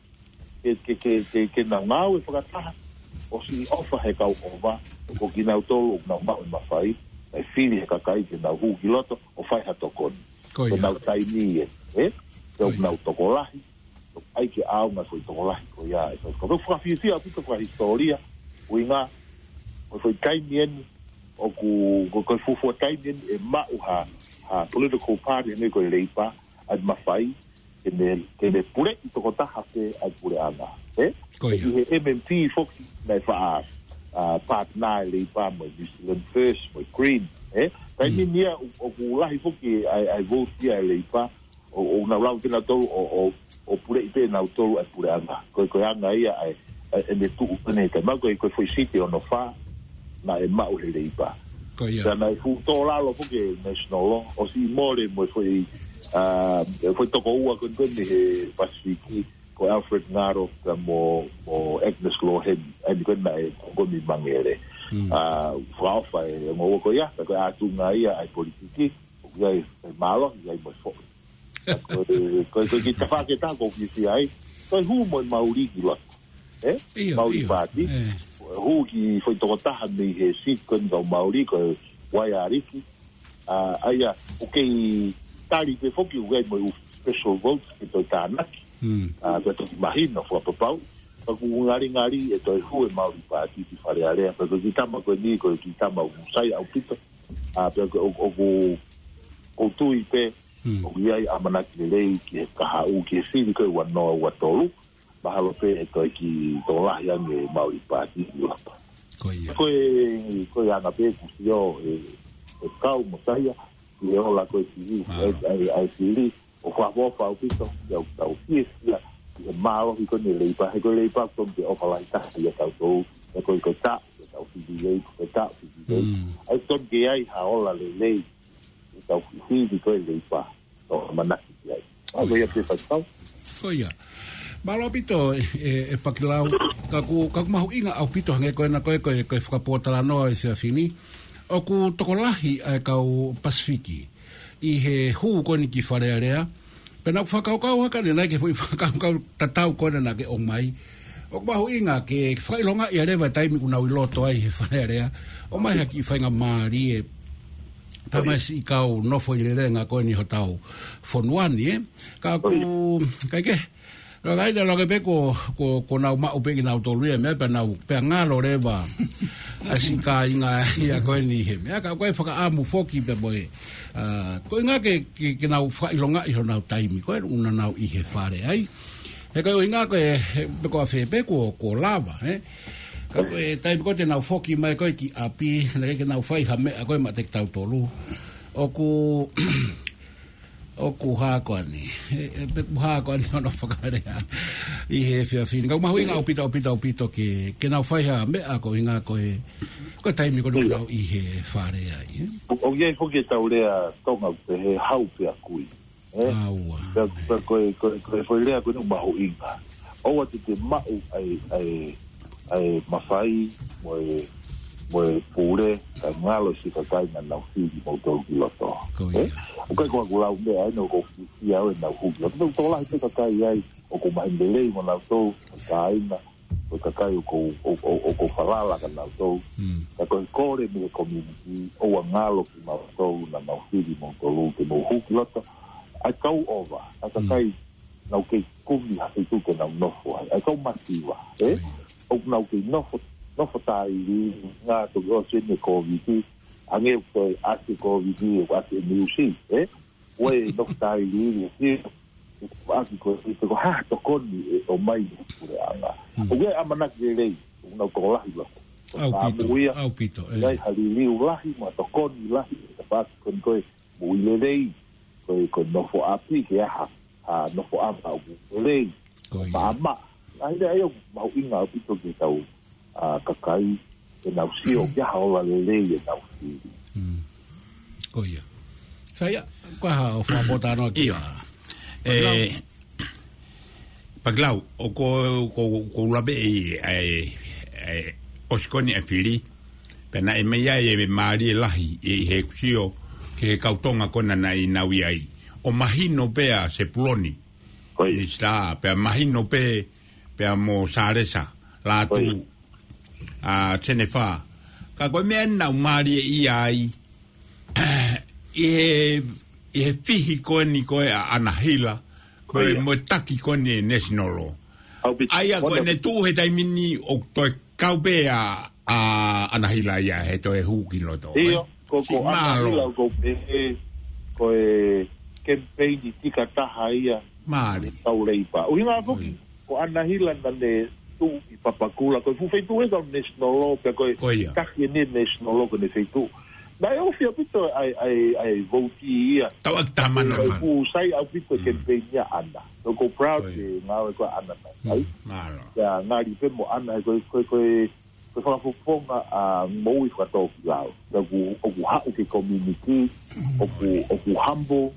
Ke, ke, ke, ke, ke nau ngāue fakataha, ʻo siʻi ʻofa he kau ʻova, ko kinautolu ʻoku nau maʻu e mafai, ʻe fili he kakai ke nau hū ki loto, ʻo fai ha tokoni. Ko Ko ia. nau taimi eni, ē? Ko Ko ʻoku ia. nau tokolahi, ʻoku ʻai ke ʻaonga foʻi tokolahi, ko ia, ē. Ko, ko, ko fakafiefia ʻaupito fakahisitōlia, ʻuhinga, ko e foʻi taimi eni, ʻoku, ko, ko e fuofua taimi eni, ʻe maʻu ha, ha political party, hangē ko e Leipa, ʻa e mafai, ke ne, ke ne puleʻi tokotaha pē ʻa e puleʻanga, ē? Ko ia. ʻI he M M P foki naʻe faʻa, ʻa, partner e Leipa mo e New Zealand First, mo e Green, ē? Taimi Mm. ni ia, ʻo, ʻoku lahi foki ʻa e, ʻa e vote ia e Leipa, ʻo, ʻo nau lau kinautolu, ʻo, ʻo, ʻo puleʻi pē nautolu ʻa e puleʻanga. Ko e, ko e anga ia ʻa e, ʻa e, ʻene tuʻu pene he taimi, ko e, ko e foʻi siti hono fā, naʻe maʻu he Leipa. Ko ia. Pea naʻe fuʻu tō lalo foki e national law, ʻosi mole mo e foʻi, ʻa, e foʻi toko ua ko eni ko eni he Pasifiki, ko Alfred Ngaro, pea mo, mo Agnes Lorheni, ʻa eni ko eni naʻe ko eni mangele. Mm. ʻA, fakaʻofa e ongo ua ko ia, ka ko e ʻātunga ia ʻa e politiki, ʻoku ʻi ai e mālohi, ʻi ai mo e foʻi. Ko e, ko e, ko e kiʻi tafaʻaki ʻe taha ʻoku ou fiefia ai. Ko e hū mo e Mauli ki loto. Ē? ʻIo, Mauli ʻio. Party. Ē. Hū ki foʻi tokotaha mei he seat ko eni kau Mauli ko e Waiariki. ʻA, ʻa ia, ʻoku kei tali pē foki ʻoku ʻi ai mo e ʻū special votes ke toe tānaki. Mm. ʻA, pea toki mahino fakapapau. Ka ʻoku ngalingali ʻe toe hū e Mauli Party ki Fale Alea. Pea ko e kiʻi tama ko eni, ko e kiʻi tama ʻoku sai ʻaupito. A, pea ʻoku, ʻoku, ʻoku ou tui pē, ʻoku ʻi ai ʻamanaki lelei ki he kahaʻu, ki he fili ko ē ua noa ua tolu, mahalo pē ʻe toe kiʻi tokolahi ange Maori Party ʻi Europa. Ko ia. Ko e, ko e anga pē ʻeku sio ʻe, ʻe kau mo Saia, ki he ola ko ē fili, ʻa e, ʻa e, ʻa e fili, ʻo fakaʻofoʻofa ʻaupito, ʻi heʻetau fiefia, ʻi he mālohi ko eni Leipa, he ko e Leipa ʻoku tonu ke ʻofa lahi taha ʻia tautolu, he ko e, ko e taʻu, ʻetau fili Leipa, ko e taʻu fili Leipa. ʻA e tonu ke ʻi ai ha ola lelei, ʻetau fili ko ē Leipa, ʻo ʻamanaki ki ai. ʻA ko ia pē fakatau. Ko ia. Mālō ʻaupito, ʻe, ʻe, ʻe Pakilau, ka ʻoku, ka ʻoku mahuʻinga ʻaupito hangē ko ena ko e, ko e, ko e fakapōtalanoa ʻi he efiafi ni. ʻOku tokolahi ʻa e kau Pasifiki ʻi he hū ko eni ki Fale Alea. Pea naʻá ku fakakaukau hake ʻanenai ki he foʻi fakakaukau tatau ko ena naʻá ke ʻomai. ʻOku mahuʻinga ke fakaʻilongaʻi ʻa e leva taimi ʻoku nau ʻi loto ai he Fale Alea. ʻOmai ha kiʻi faingamālie. Tamasiʻi kau nofo ʻi lelenga ko eni hotau fonua ni, ē. Ka ʻoku, ka ke, ka ʻi ai ʻa e loke pē ko, ko, ko nau maʻu pē kinautolu ia meʻa pea nau, pea ngalo leva ʻa e siʻi kāinga ia ko eni he meʻa. Ka ko e fakaʻamu foki pē mo e, a, ko e ʻuhinga ke, ke, ke nau fakaʻilongaʻi honau taimi ko ē ʻoku nau ʻi he fale ai. He ko e ʻuhinga ko e, he, pe ko fē pē kuo, kuo lava, ē. Ka ko e taimi ko ē te nau foki mai ko ē ki ʻapi, naʻe ʻikai ke nau fai ha meʻa ko ē maʻa kitautolu. ʻOku, ʻoku hā ko eni. ʻE, ʻe, pe ʻoku hā ko eni hono fakalea. ʻI he efiafi ni. Ka ʻoku mahuʻinga ʻaupito, ʻaupito, ʻaupito ke, ke nau fai ha meʻa ko e ʻuhinga ko e, ko e taimi ko ē ʻoku nau ʻi he fale ai, ē. ʻOku ʻi ai foki ʻetau lea Tonga ʻoku pehē hau pea kui. Ē? Aua. Pea, pea ko e, ko e, ko e foʻi lea ko eni ʻoku mahuʻinga. ʻOua te te maʻu ʻa e, ʻa e, ʻa e mafai mo e, mo e pule, kae ngalo siʻi kakai naʻa nau fili moutolu ki loto. Ko ia. Ē? ʻOku ʻikai ko haʻaku lau meʻa eni ʻoku ou fiefia au ʻenau hū ki loto. Pea ʻoku tokolahi pē kakai ai, ʻoku maheni lelei mo nautolu, kāinga, ko e kakai ʻoku ou, ʻo, ʻo, ʻoku ou falala kia nautolu. Ka ko e kole mei he community, ʻoua ngalo kimautolu naʻa nau fili moutolu ke mou hū ki loto. ʻA e kau ʻova, ʻa e kakai naʻa nau kei kumi ha feituʻu ke nau nofo ai. ʻA e kau masiva, ē? ʻOku nau kei nofo, nofo tāʻili, ngā toki ʻosi eni e Kōviti, hangē ko e ʻasi e Kōviti, ʻoku ʻasi e niusi, ē? Ko e nofo tāʻili, ē? ʻAki ko e, ko e hā tokoni ʻe ʻomai ʻe he puleʻanga. ʻOku ʻi ai ʻamanaki lelei, ʻoku nau tokolahi loko. ʻAupito, ʻaupito, ē. ʻI ai ha liliu lahi, mo ha tokoni lahi, ʻe ka paki ko eni ko e moʻui lelei, ko e, ko e nofo ʻapi ke aha, ha nofo ʻapi ʻoku lelei. Ko ia. Maʻamaʻa. ʻA ia ʻoku mahuʻinga ʻaupito ke tau, a, kakai, ke nau sio, ke aha ola lelei ʻenau fili. Ko ia. Saia, ko e hā hoʻo fakapōtalanoa ki ai? ʻE, Pakilau, ʻoku ou, ʻoku ou, ʻoku ou lave ʻi, ʻi, ʻi, ʻosi ko eni e fili, pea naʻe meimei ʻi ai e mālie lahi, ʻi heʻeku sio, ki he kau Tonga ko ena naʻa nau ʻi ai. ʻO mahino pē ʻa Sepuloni, Minisitā, pea mahino pē, pea mo Salesa, Lātū, ʻa Senefa. Ka ko e meʻa naʻa nau mālie ʻi ai, ʻi he, ʻi he fihi ko eni ko ē ʻa ʻAna Hila, ko e mo e taki ko eni e National Law. ʻA ia ko ʻene tuʻu he taimi ni ʻoku toe kau pē ʻa, ʻa ʻAna Hila ia he toe hū ki loto. ʻIo, ko, ko ʻAna Hila ʻoku ou pehē, ko e kemipeini tika taha ia. Mālie. Kau Leipa. ʻUhinga foki, ko ʻAna Hila naʻa ne tuʻu ʻi Papakura, ko e fuʻu feituʻu ē kau National Law, pea ko e taki eni National Law ko ʻene feituʻu. Naʻe ofi ʻaupito ʻa e, ʻa e, ʻa e vouti ia. Tau ʻaki tamana. Ko e fuʻu sai ʻaupito e kemipeini ʻa ʻAna. So ko e proud e ngāue ko ē ʻa ʻAna naʻe fai. Mālō. Pea ngali pē mo ʻAna, ko e, ko e, ko e, ko e fakafofonga ʻa e moʻui fakatōkilalo. Pea ʻoku, ʻoku haʻu ki he community, ʻoku, ʻoku humble,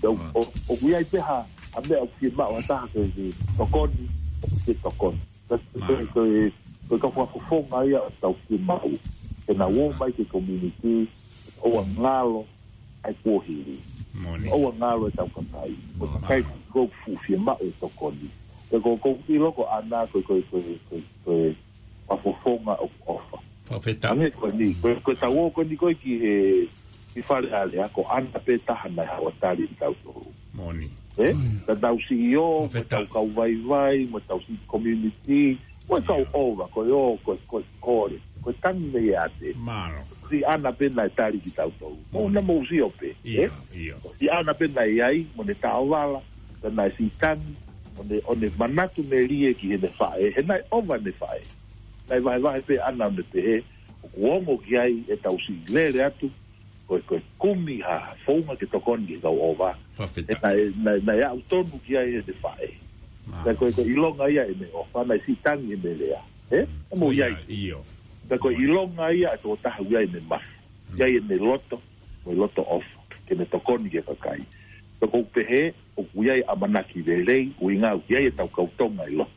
pea ʻoku, ʻoku ʻi ai pē ha, ha meʻa ʻoku fiemaʻu ha taha ke, ke tokoni, ʻoku ke tokoni. Pea ko e, ko e, ko e kau fakafofonga ia ʻoku tau fiemaʻu. Ke nau ō mai ki he community, ʻoua ngalo ʻa e kuohili. ʻOua ngalo ʻetau kakai. Ko e kakai ʻoku fuʻu fiemaʻu e tokoni. Pea ko, ʻoku ou ʻilo ko ʻAna ko e, ko e, ko e, ko e, ko e fakafofonga ʻoku ʻofa. Fakafetaʻi. Hangē ko eni, ko, ko ʻetau ō ko eni ko ē ki he, ki Fale Alea, ko ʻAna pē taha naʻe haʻu ʻo tali kitautolu. Moʻoni. Ē? Ko ʻetau C E O, ko ʻetau kau vaivai, ko ʻetau siʻi community, ko ʻetau ʻova, ko e ō, ko e, ko e kole. ko e tangi mei ʻAte. Mālō. Siʻana pē naʻe tali kitautolu. Mo na mo sio pē, ʻIo, ʻe? ʻIo. Siʻana pē naʻe ʻi ai, mo ne taovala, pea naʻe siʻi tangi, ʻo ne, ʻo ne manatu melie ki heʻene faʻē, he naʻe ʻova ʻene faʻē. Naʻe vahevahe pē ʻAna ʻo ne pehē, ʻoku ongo ki ai ʻetau siʻi lele atu, ko e, ko e kumi ha founga ke tokoni ki he kau ʻova. Fakafetaʻi. He naʻe, naʻe, naʻe aʻu tonu ki ai ʻene faʻē. Mālō. Pea ko e, ko e ʻilonga ia ʻene ʻofa, naʻe siʻi tangi ʻene lea. ʻE? ʻE mo ʻi ai. ʻIo. Pea ko e ʻilonga ia ʻa e tokotaha ʻoku ʻi ai ʻene mafu. ʻI ai ʻene loto, mo e loto ʻofa. Ke ne tokoni ki he kakai. Pea ʻoku ou pehē, ʻoku ʻi ai ʻamanaki lelei, ʻuhinga ʻoku ʻi ai ʻetau kau Tonga ʻi loto.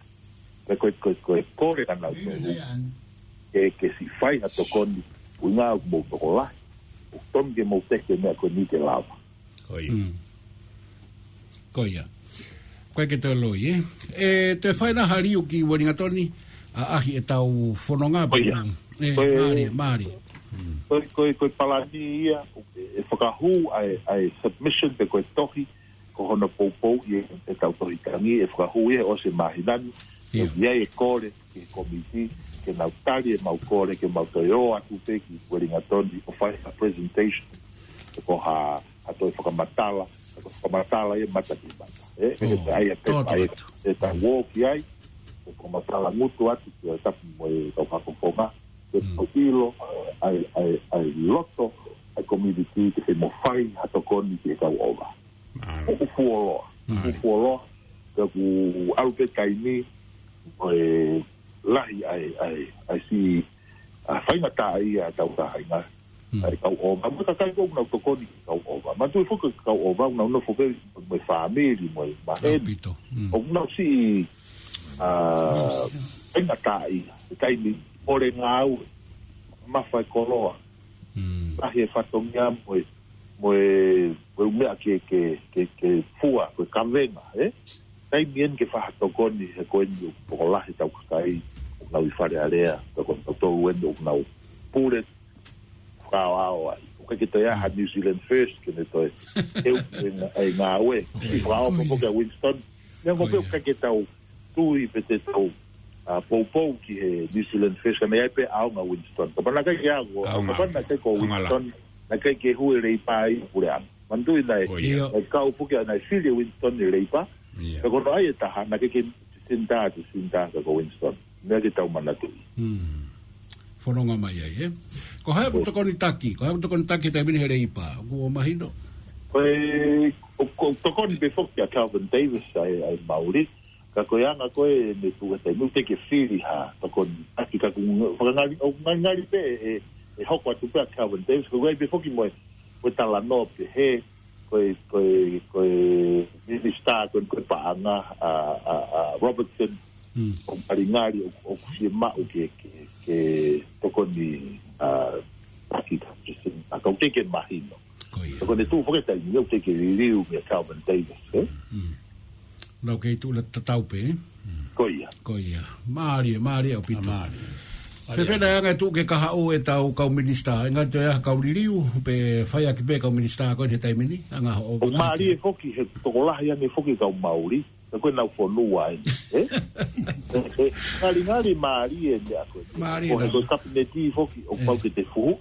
Pea ko e, ko e, ko e kole ʻanautolu. Ke, ke siʻi fai ha tokoni, ʻuhinga ʻoku mou tokolahi. ʻOku tonu ke mou teke meʻa ko eni ke lava. Ko ia. Mm. Ko ia. Ko e ke toe loi, ʻe? ʻE, toe fai na ha liu ki Uelingatoni, ʻa, ʻaʻahi ʻetau fononga Ko ia. ʻE, Ko e, mālie, mālie. Ko e, ko e, ko e palani ia, ʻe, ʻe fakahū ʻa e, ʻa e submission pe ko e tohi, ko hono poupou ia ʻetau tohi tangi, ʻe fakahū ia ʻosi e māhina ni, ʻIo. ʻe ʻi ai e kole, ki he komiti, ke nau tali ʻemau kole, ke mau toe ō atu pē ki Uelingatoni, ʻo fai ha presentation, ko ha, ha toe fakamatala, ha toe fakamatala ia mata ki mata. ʻE, ʻe, ʻOu, ʻe, ʻai ʻa e toto pepa, ʻe, atu. ʻe tau ō ki ai, ʻe fakamatala ngutu atu, ki he tapu mo e kau fakafofonga, ke Mm. tau ʻilo, ʻa e, ʻa e, ʻa e loto, ʻa e community, ke se mo fai ha tokoni ki he kau ʻova. Mālō. ʻOku fuoloa. Mālō. ʻOku fuoloa. Pea ʻoku ʻalu pē taimi, ʻo e lahi ʻa e, ʻa e, ʻa e siʻi, ʻa e faingataʻaʻia ʻa e tau tahainga. Mm. ʻA e kau ʻova. Mo e kakai ko ē ʻoku nau tokoni ki he kau ʻova. Manatuʻi foki ko e kau ʻova, ʻoku nau nofo pē mo e fāmili, mo e maheni. ʻAupito. Mm. ʻOku nau siʻi, ʻa, Nau siʻi. faingataʻaʻia. ʻI he taimi, ʻole ngāue. Mafa e koloa. Mm. Lahi e fatongia mo e mo e, mo e meʻa ke, ke, ke, ke fua, ko e kavenga, ʻe? Taimi eni ke fai ha tokoni he ko eni ʻoku tokolahi ʻetau kakai, ʻoku nau ʻi Fale Alea, pea ko kinautolu eni ʻoku nau pule, fakaʻaoʻao ai. ʻOku ʻikai ke toe ʻi ai ha New Zealand First, ke ne toe, ʻe u, ʻe ngā-, ʻe ngāue. ʻOku ʻikai. Fakaʻaoʻao ko ia. Ko ke Winston. Neongo Ko pē ia. ʻoku ʻikai ke tau tui pe te tau, ʻa, poupou ki he New Zealand First, ka naʻe ʻi ai pē ʻaonga Winston. Kapau naʻe ʻikai ke ʻaonga, ʻAonga. kapau naʻe ʻikai ko ʻAonga la. Winston, naʻe ʻikai ke hū e Leipa ʻi puleʻanga. Manatuʻi naʻe, Ko ia. ʻIo. naʻe kau puke, naʻe fili e Winston ʻe Leipa. Ia. Pea ko hono ʻai e taha, naʻe ʻikai ke Sinta, te Sinta ka ko Winston. Meʻa ke tau manatuʻi. Hmm. Fononga mai ai, ʻe? Ko hai ʻoku Ko tokoni taki, ko hai ʻoku tokoni taki taimi ni he Leipa, ʻoku ʻo mahino. Ko e, ʻo, ʻo tokoni pē foki ʻa Kelvin Davis ʻa e, ʻa e Māori. Ka ko e anga ko ē ne tuʻu he taimi ʻoku teʻeki ke fili ha tokoni taki ka ʻoku ngalingali, ʻoku ngalingali pē ʻe, ʻe hoko atu pē ʻa Kelvin Davis, ka ʻoku ʻi ai pē foki mo e, mo e talanoa pehē, ko e, ko e, ko e minisitā, ko e, ko e paʻanga, ʻa, ʻa, ʻa Robertson, Mm. ʻoku ngalingali, ʻo, ʻoku fiemaʻu ke, ke, ke tokoni, ʻa, taki ka, ʻa, ka ʻoku teʻeki ke mahino. Ko ia. Ka ko ʻene tuʻu foki he taimi ni ʻoku teʻeki ke liliu meia Kelvin Davis, ʻe? Mm. Nau kei tuʻu la tatau pē, ʻe? Ko ia. Ko ia. Mālie, mālie ʻaupito. ʻA, mālie. Mālie. Fēfē naʻe anga e tuʻu ke kahaʻu ʻetau kau minisitā, ʻe ngata ʻi ai ha kau liliu, pe faiʻaki pē kau minisitā ko eni he taimi ni, anga hoʻo ʻOku mālie foki he tokolahi ange foki kau Māori, ka ko ʻenau fonua eni, ʻe? ʻE, ʻe, ngalingali mālie meʻa ko ē. Mālie Ko he, naʻa. ko e kapineti foki, ʻoku ʻE. pau ke te fuhu,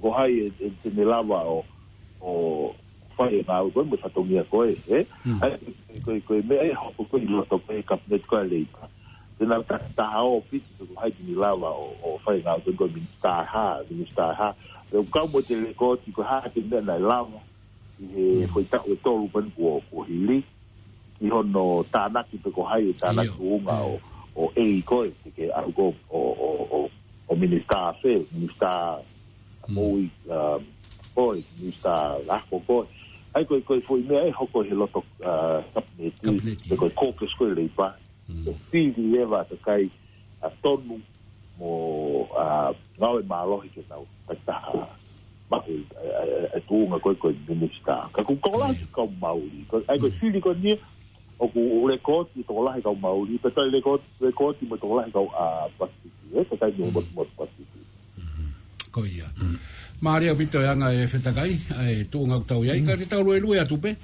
ko hai ʻe, ʻe te ne lava ʻo, ʻo fai e ngāue ko ē mo e fatongia ko ē, ʻe? Mm. ʻA ia, ko e, ko e meʻa ʻe hoko ko ē ʻi loto ko ē kapineti ko ē Leipa. Te nau ta-, taha ʻo piki ko hai te ne lava ʻo, ʻo fai e ngāue ko ē ko e minisitā ha, minisitā ha. Pea ʻoku kau mo e telekoti ko e hā e meʻa naʻe lava ʻi he Mm. foʻi taʻu ʻe tolu pē kuo, kuo hili. Ki hono tānaki pe ko hai e tānaki ʻIo. tuʻunga ʻo, ʻo ʻEiki ko ē, ke, ke ʻalu ko ē ʻo, ʻo, ʻo, ʻo minisitā fē, minisitā Mm. moʻui, um, ko ē, minisitā ako ko ē. ʻA ia ko e, ko e foʻi meʻa ʻe hoko he loto, uh, kapineti, Kapineti. pe ko e caucus ko ē Leipa. Mm. ʻO fili leva ʻa e kakai, ʻa, tonu mo, ʻa, ngāue mālohi ke nau takitaha maʻu e, e, e, e tuʻunga ko ē ko e minisitā. Ka ʻoku tokolahi Ko ia. kau Māori. Ko, ʻa ia ko e Mm. fili ko eni, ʻoku lekooti tokolahi kau Māori, pea toe lekooti, lekooti mo e tokolahi kau, ʻa, Pasifiki, ʻe, kakai mo Mm. mo, mo Pasifiki. Mm. Ko ia. Mm. Mālie ʻaupito e anga e Fetakai, ʻa e tuʻunga ʻoku tau ʻi ai, Mm. ka te tau luelue atu pē,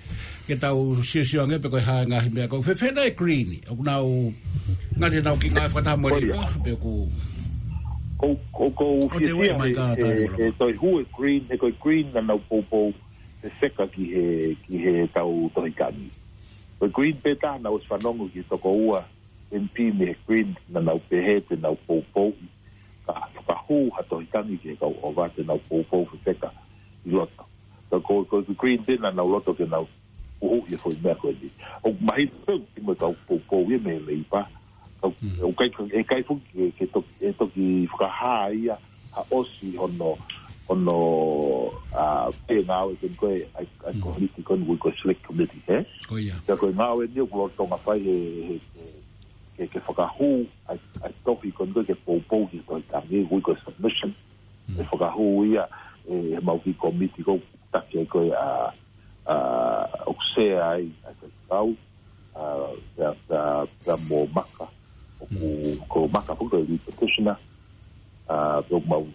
ke tau siosio ange pe ko e hā e ngaahi meʻa ko ē. Fēfē naʻe Green, ʻoku nau, ngali nau kiʻi ngāue fakataha mo Ko ia. Leipa, pe ʻoku ʻOku ou fiefia he, he, he toe hū e Green, he ko e Green naʻa nau poupou fefeka ki he, ki he tau Tohi Taʻangi. Ko e Green pē taha naʻa ku ʻosi fanongo ki he toko ua M P mei he Green naʻa nau pehē te nau poupou, ka fakahū ha Tohi Taʻangi ki he kau ʻova te nau poupou fefeka ʻi loto. Ka ko, ko e Green pē naʻa nau loto ke nau huhuʻi e foʻi meʻa ko eni. ʻOku mahino pē ʻoku ʻi ai mo e kau poupou ia mei he Leipa. Ka, ʻoku ʻikai, ʻe ʻikai foki ke, ke toki, ʻe toki fakahā ia ha ʻosi hono, hono, ʻa, pē ngāue ko eni ko e, ʻa e, ʻa e komiti ko eni ʻoku ui ko e select committee, ē? Ko ia. Ka ko e ngāue ni ʻoku lolotonga fai he, he, he, ke, ke fakahū ʻa e, ʻa e tohi ko eni ko e ke poupou ki he Tohi Taʻangi, ʻoku ui ko e submission. ʻE fakahū ia, ʻe, he mau kiʻi komiti ko taki ai ko e ʻa, ʻa, ʻoku sea ai, ʻa, ko e kau, ʻa, pea, pea, pea mo Maka, ʻoku, ko Maka foki ko e lead petitioner, ʻa, pea mau,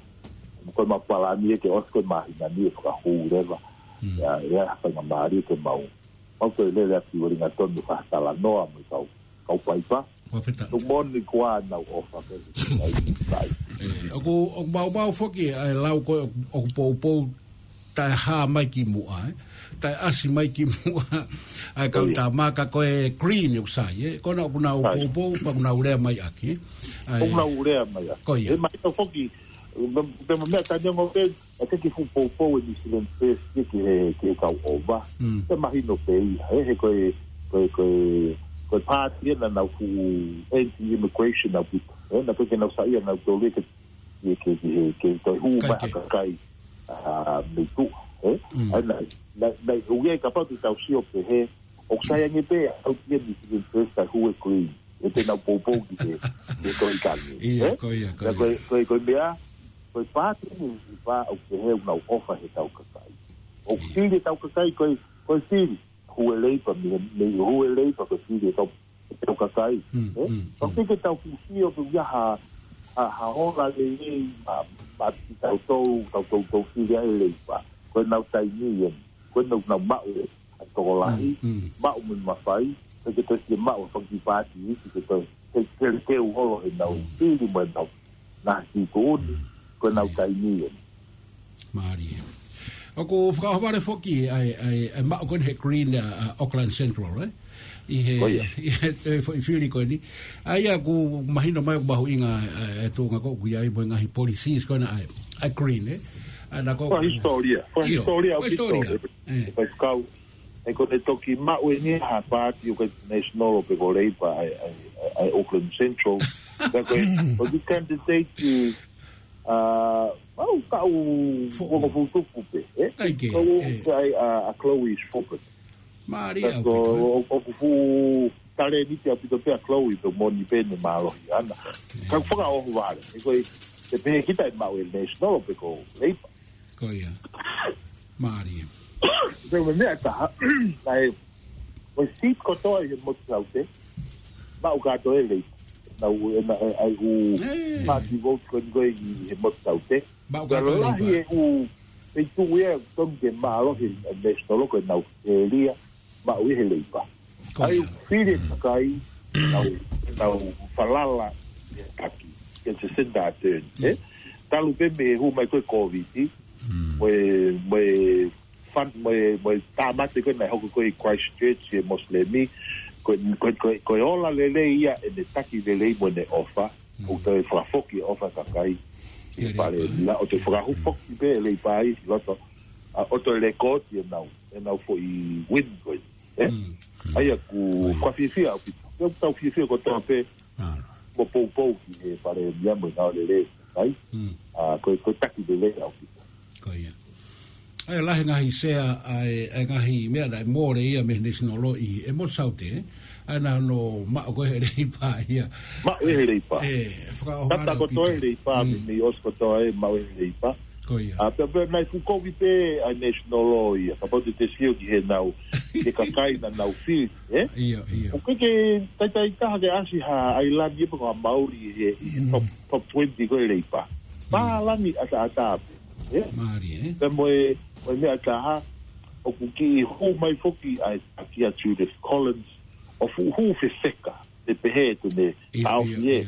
ko e mau palani ʻe ke ʻosi ko e māhina ni ʻe fakahū leva, ʻa, ʻe ʻa faingamālie ke mau, mau ko e lele atu ʻi Wellington mo fakatalanoa mo e kau, kau paipa. Fakafetaʻi. Tuku moni kuo nau ʻofa ke, ʻe, ʻoku, ʻoku mau mau foki ʻa e lau ko e ʻoku poupou taʻe hā mai ki muʻa, ē? Taʻe ʻasi mai ki muʻa ʻa e kau tā Maka ko e Green ʻoku sai, ē? Ko ena ʻoku nau poupou, pea ʻoku nau lea mai ʻaki, ē? ʻOku nau lea mai ʻaki. Ko ia. ʻE mahino foki, te ma meʻa tani ongo pē, ʻa e ke fuʻu poupou ʻe New Zealand First ki he, ki he kau ʻova. Te mahino pē ia, ē, he ko e, ko e, ko e, ko e pāti ena naʻa nau fuʻu anti-immigration ʻaupito. Ē, naʻa pē ke nau saiʻia nautolu ke, ke, ke, ke, ke toe hū mai ha kakai, ʻa, mei tuʻa, ē. ʻA, naʻe, naʻe, naʻe, ʻoku ʻi ai kapau te tau sio pē he, ʻoku sai ange pē, ʻa, ʻoku ʻi ai New Zealand First kae hū e Green. ʻE te nau poupou ki he, ki he Tohi Taʻangi, ē? Ko ia, ko ia. Ko e, ko e, ko e meʻa, ko e pāti ni, ʻi pā ʻoku pehē ʻoku nau ʻofa he tau kakai. ʻOku fili e tau kakai, ko e, ko e fili, hū e Leipa, mei, mei hū e Leipa, ko e fili e tau, e tau kakai, ē? Ka ke ke tau fusi ʻoku ʻi ai ha, ha, ha ola lelei, ma, ma, ki tau tau, tau tau tau fili ai e Leipa. Ko e nau taimi eni, ko e nau, nau maʻu e, ʻa e tokolahi, maʻu mo e mafai, ʻe ke toe ke maʻu e fanga kiʻi pāti, ʻe ke toe, ke, ke, ke u holo he nau, fili mo e nau, na ki tuʻuni, ko e nau taimi eni. Mālie. ʻOku fakaʻohovale foki ʻa e, ʻa e, ʻa e maʻu ko eni he Green, ʻa, ʻa Auckland Central, ē? ʻI he, ʻi he toe foʻi fili ko eni. ʻA ia ʻoku mahino mai ʻoku mahuʻinga, ʻa, e tuʻunga ko ē ʻoku ʻi ai mo e ngaahi policies ko ena ʻa e, ʻa e Green, ē? ʻA ena ko e hisitōlia. Ko e hisitōlia, ko e hisitōlia. Ē. Ko e kau, ʻe ko e toki maʻu eni ha pāti ʻoku ʻikai National pe ko Labour ʻa e, ʻa e, ʻa e Auckland Central. Ka ko e, ko e candidate ki, ʻa, ʻau kau fuʻu tupu pē, ē? Kau ʻai, ʻa, ʻa Chloe Forbes. Mālie ʻaupito, ē? ʻOku fuʻu talēniti ʻaupito pē ʻa Chloe pe moni pē ne mālohi ʻana. Ka fakaʻohovale, ʻe ko e, te pehē kita ʻe maʻu e National pe ko Labour. Ko ia. Mālie. Pea mo e meʻa ʻe taha, ʻa e, ko e seat kotoa ʻi he motu Saute, maʻu kātoa ʻe Labour. Nau, ʻe na, ʻe, ʻai ʻū party vote ko eni ko ē ʻi he motu Saute. Maʻu kātoa ʻe Labour. Lahi e ʻū, ʻe tuʻu ia, tonu ke mālohi e National ko e nau ʻēlia, maʻu ʻe he Labour. ʻAi ʻū fili e kakai, nau, nau falala, ʻe taki, ke se senda a turn, ē? Talu pē mei he hū mai ko e Covid, mo e, mo e fan, mo e, mo e tāmate ko ē naʻe hoko ko ē ʻi Christchurch, ʻi he Mosilemi, ko e, ko e, ko e, ko e ola lelei ia ʻene taki lelei mo ʻene ʻofa, ʻo toe fakafoki e ʻofa kakai, ʻi he fale, ia ʻo toe fakahū foki pē e Labour ʻi loto, ʻa, ʻo toe lēkooti ʻenau, ʻenau foʻi win ko ē. Ē? ʻA ia ʻoku, ʻoku ou fiefia ʻaupito. ʻOku tau fiefia kotoa pē, mo poupou ki he Palēmia mo e ngāue lelei ʻa e kakai. ʻA, ko e, ko e taki lelei ʻaupito. Ko ia. ʻA ia lahi ngaahi sea, ʻa e, ʻa e ngaahi meʻa naʻe mole ia mei he National ʻi he motu Saute, ē? ʻA ia naʻa nau maʻu ko ē he Labour ia. Maʻu ʻe he Labour. Ē, fakaʻohovale ʻaupito. Tata kotoa e Labour, mei, mei ʻosi kotoa ē maʻu ʻe he Labour. Ko ia. ʻA, pea, pea naʻe fuʻu kovi pē ʻa e National ia, kapau te te sio ki heʻenau, ki he kakai naʻa nau fili, ē? ʻIo, ʻio. ʻOku ʻikai ke taitai taha ke ʻasi ha ʻailani pe ko ha Maori ʻi he, ʻi he top, top twenty ko ē Labour. Pālangi ʻataʻatā pē, ē? Mālie, ē? Pea mo e, mo e meʻa ʻe taha, ʻoku kiʻi hū mai foki ʻa e taki ʻa Judith Collins, ʻo fuʻu hū fefeka, te pehē te ne taʻofi ē,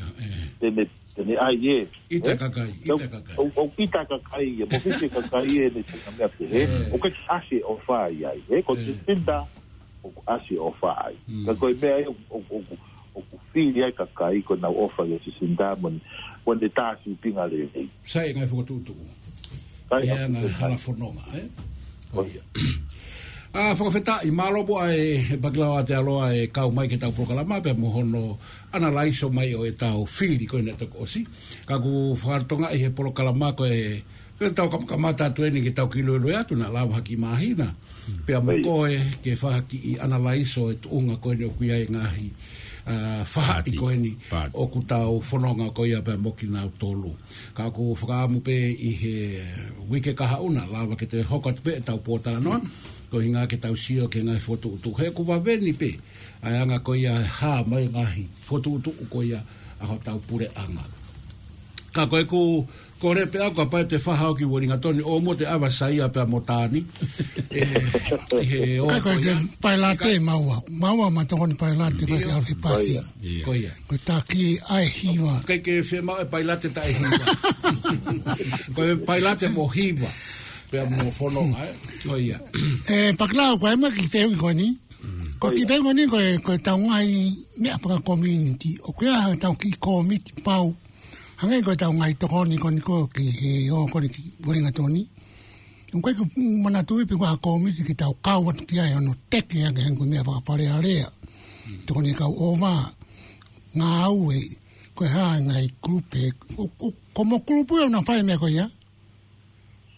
te ne Te ne ʻai ē. ʻIta kakai, ʻita kakai. ʻO, ʻo ʻita kakai ē, mo fisi kakai ē, ne te kamea te he. ʻOku ke ʻasi ʻofa ai ai, ē, ko Jacinda, ʻoku ʻasi ʻofa ai. Ka ko e meʻa ē, ʻoku, ʻoku, ʻoku fili ai kakai, ko ʻenau ʻofa ia Jacinda, mo ne, mo ne tā sīpinga lelei. Sai e ngaahi fokotuʻutuʻu. Sai e anga hala fononga, ē? ʻIo. ʻA, fakafetaʻi, mālō muʻa e, e Pakilau ʻa te aloa e kau mai ke tau polokalama, pea mo hono analaiso mai ʻo e tau fili ko ena toko ʻosi. Ka ʻoku fakatokangaʻi he polokalama ko e, ko e tau kam-, kamata atu eni ke tau kiloiloa atu naʻa lava haki māhina. Pea mo koe ke fai ha kiʻi analaiso e tuʻunga ko eni ʻoku ʻi ai e ngaahi, ʻa, fahaʻi ko eni ʻoku tau fononga ko ia pea mo kinautolu. Ka ʻoku fakaʻamu pē ʻi he uike kahaʻu naʻa lava ke toe hoko atu pē e tau pōtalanoa, ko e ʻuhinga ke tau sio ki he ngaahi fokotuʻutuʻu. He ʻoku vave ni pē ʻa e anga ko ia e hā mai ngaahi fokotuʻutuʻu ko ia ʻa hotau puleʻanga. Ka ko ʻeku kole pē ʻaku kapau te faha ʻo ki Uelingatoni ʻo mo te ʻave ʻa Saia pea mo Tani. ʻE, ʻi he ʻo Kai ko e ko ia. Pailate maua. Maua ma tokoni pailate ko e ke ʻalu he pasi. Ko ia. Ko e taki ʻa e hiva. Kai ke fiemaʻu e pailate taʻe hiva. Ko e pailate mo hiva. Pea mo fononga, ē? Ko ia. ʻE, Pakilau, ko e ma ki te ui ko ni. Ko ki te ui ko ni, ko e, ko e tau ngaahi meʻa faka community. ʻOku ʻi ai ha tau kiʻi komiti pau. Hangē ko e tau ngaahi tokoni ko ni ko ki he ʻo ko ni ki Uelingatoni. ʻOku ʻikai ke u manatuʻi pe ko ha komiti ke tau kau atu ki ai hono teke ake hangē ko e meʻa faka Fale Alea. Tokoni kau ʻova. Ngāue, ko e hā e ngaahi kulupu, ko, ko, ko mo kulupu ʻe ʻoku nau fai e meʻa ko ia?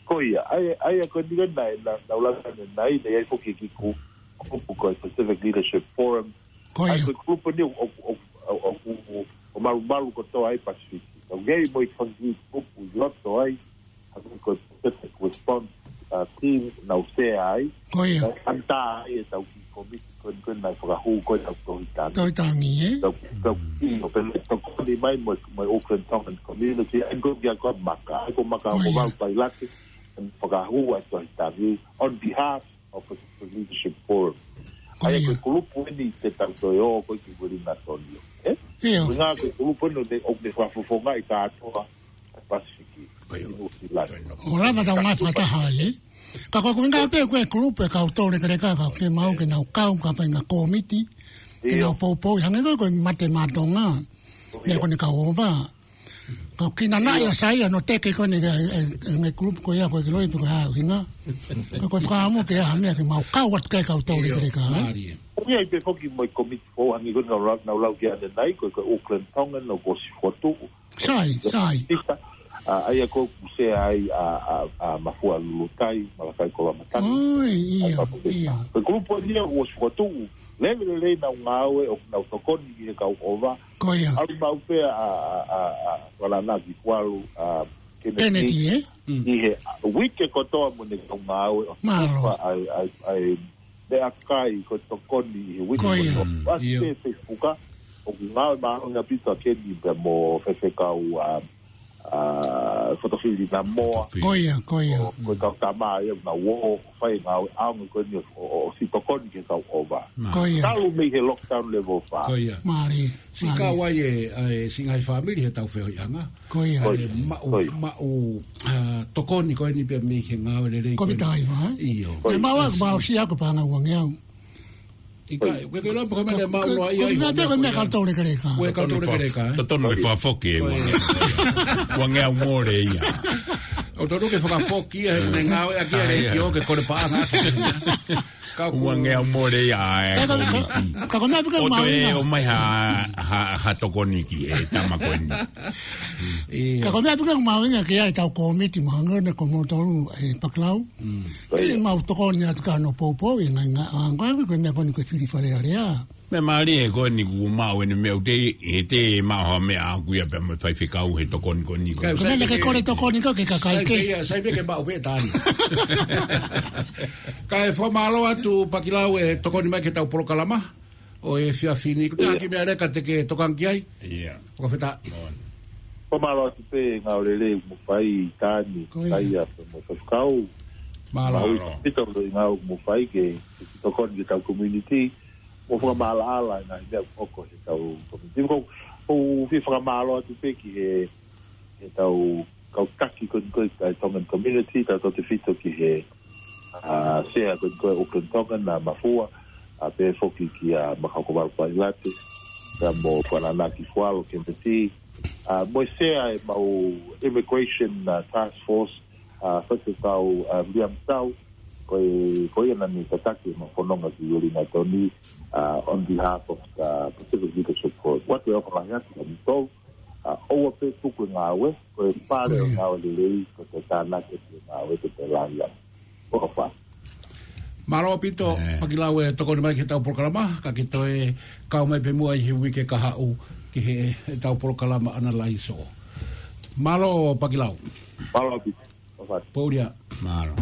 Ko ia, ʻa ia, ʻa ia ko e niga nai, na, na ulanga ne nai, ne ʻi ai foki e kiʻi ku-, kulupu ko e Pacific Leadership Forum. Ko ia. ʻA ia ko e kulupu ni ʻo, ʻo, ʻo, ʻo, ʻo, ʻo malumalu kotoa ʻi Pasifiki. ʻOku ʻi ai mo e fanga kiʻi kulupu ʻi loto ai, ʻa ia ko e Pacific Response, uh, Team, nau sea ai. Ko ia. Nau ʻanta ai e tau kiʻi komiti ko eni ko eni naʻe fakahū ko eni ʻa Tohi Tangi. Tohi Tangi, ē? Tau, tau kiʻi ʻo pehē tokoni mai mo, mo e Auckland Tongan Community, ʻa ia ko e kia ko Maka, ʻa ia ko Maka ko ia. Ko Mau Pailate, ʻa ia fakahū ʻa Tohi Tangi, on behalf of the Leadership Forum. Ko ia. ʻA ia ko e kulupu eni te tau toe ō ko ē ki Uelingatoni, ē? ʻIo. Ngā ko e kulupu eni ʻoku ne, ʻoku ne fakafofongaʻi kātoa Pasifiki. Ko ia. ʻI Nuʻu Sila. ʻO lava tau ngāue fakataha ai, ē? Ka ko e ʻuhinga pē ko e kulupu e kau tau lekeleka ka ke mau ke nau kau ka fai ngaahi komiti, ke nau poupou, hangē ko e, ko e Mate Maʻa Tonga, meʻa ko eni kau ʻova. Ka ʻoku kina naʻe ʻa Saia hono teke ko eni e, e, e ngaahi kulupu ko ia ko e kiloi pe ko e hā e ʻuhinga. Ka ko e fakaʻamu ke ʻi ai ha meʻa ke mau kau atu ki ai kau tau lekeleka, ē? Mālie. ʻOku ʻi ai pē foki mo e komiti foʻou hangē ko eni naʻa ku lau, naʻa ku lau ki ai ʻanenai, ko e, ko e Auckland Tongan ʻoku ʻosi fokotuʻu. Sai, sai. Pita, ʻa, ʻa ia ko ē ʻoku sea ai ʻa, ʻa, ʻa Mafua Lulutai, Malakai Koloamatangi. ʻOi, ʻa ia, ia. Ko e kulupu eni ia ʻoku ʻosi fokotuʻu, lele lelei ʻenau ngāue ʻoku nau tokoni ki he kau ʻova. Ko ia. ʻAlu maʻu pē ʻa, ʻa, ʻa, ʻa Valanaki Kualu, ʻa Kennedy, Kennedy, ē? ʻI he, ʻa, uike kotoa mo ʻene kau ngāue ʻo tufa ai, ai, ai, meʻakai ko e tokoni ʻi he uike kotoa. Ko ia. ʻAsi pē Facebook, ʻoku ngāue māʻolunga ʻaupito ʻa Kennedy pea mo Fefekau, ʻa, ʻa, Fotofili Namoa. Ko ia, ko ia. Ko e kau tama ia, na uo, fai ngāue ʻaonga ko eni ʻo, ʻo, ʻo, ʻosi tokoni ki he kau ʻova. Ko ia. Talu mei he lockdown level five. Ko ia. Mālie. Siʻi kau ai e, ʻa e siʻi ngaahi fāmili he tau feohiʻanga. Ko ia. Ko ia. Maʻu, maʻu, ʻa, tokoni ko eni pea mei he ngāue lelei ko eni. Ko e taimi, ē? ʻIo. Ko ia. Naʻe maʻu ʻa e, maʻu siʻa ko e paʻanga uangeau. ʻIkai, ko e kei lava pē ko e meʻa maʻu noa ia. Ko e meʻa pē ko e meʻa kau tau lekeleka. Ko e kau tau lekeleka, ē? Totonu ke fakafoki e uangeau. Uangeau mole ia. ʻOku totonu ke fakafoki ia, he ʻoku ne ngāueʻaki ʻa e leitiō ke kole paʻanga ʻaki. Ka ʻoku uangeau mole ia, ē, ka, ka, ka ko e meʻa pē ke ʻo toe maʻu ia. ʻOmai ha, ha, ha tokoni ki he tama ko eni. ʻIo. Ka ko e meʻa pē ke maʻu ia ke ʻi ai e tau komiti mo hangē ko moutolu ē Pakilau. Ke mau tokoni atu ki hono poupou e ngaahi, ngaahi, ʻa, ko e, ko e meʻa ko eni ko e fili Fale Alea. Meʻa mālie ko eni kuo maʻu eni meʻa ʻoku te, he te maʻu ha meʻa ʻaʻaku ia pea mo e faifekau he tokoni ko eni ko. Ko e meʻa ke kole tokoni ko e kakai sai ke. Pē ia, sai pē ke maʻu pē Tani. Kae fakamālō atu Pakilau e tokoni mai ki he tau polokalama ʻo e efiafi ni. Ko e taha kiʻi meʻa leka te ke tokanga ki ai? ʻIo. Fakafetaʻi. Ko e mālō atu pē ngāue lelei mo fai Tani, ko ia. Saia pea mo e faifekau. Mālō. Mālō. Pito lo i ngāue mo fai ke, ke tokoni ki he tau community. Mo fakamaʻalaʻala e ngaahi meʻa ʻoku hoko he tau community. Ko, ʻOku ou fie fakamālō atu pē ki he, he tau kau taki ko eni ko e Tongan community, tautautefito ki he, ā, sea ko eni ko e Auckland Tongan, ʻa Mafua, ā, pehē foki kia Makaukavalu Pailate, pea mo Kuananaki Fualo Kemeti, ā, mo e sea ʻemau immigration, ā, task force, ā, Faifekau, ā, William Tau, ko e, ko ia naʻa ne tataki ʻemau fononga ki Uelingatoni, ā, on behalf of the Pacific Leadership Forum. What we offer atu kia kimoutolu, ā, ʻoua pē tuku e ngāue, ko e pale ʻo e ngāue lelei, ko e tānaki e ngāue, ko e laiā. ʻOfa. Mālō ʻaupito, Pakilau, e tokoni mai ki heʻetau polokalama, ka ke toe kau mai pē muʻa ʻi he uike kahaʻu ki heʻetau polokalama Analaiso. Mālō Pakilau. Mālō ʻaupito. ʻOfa. Pō ia. Mālō.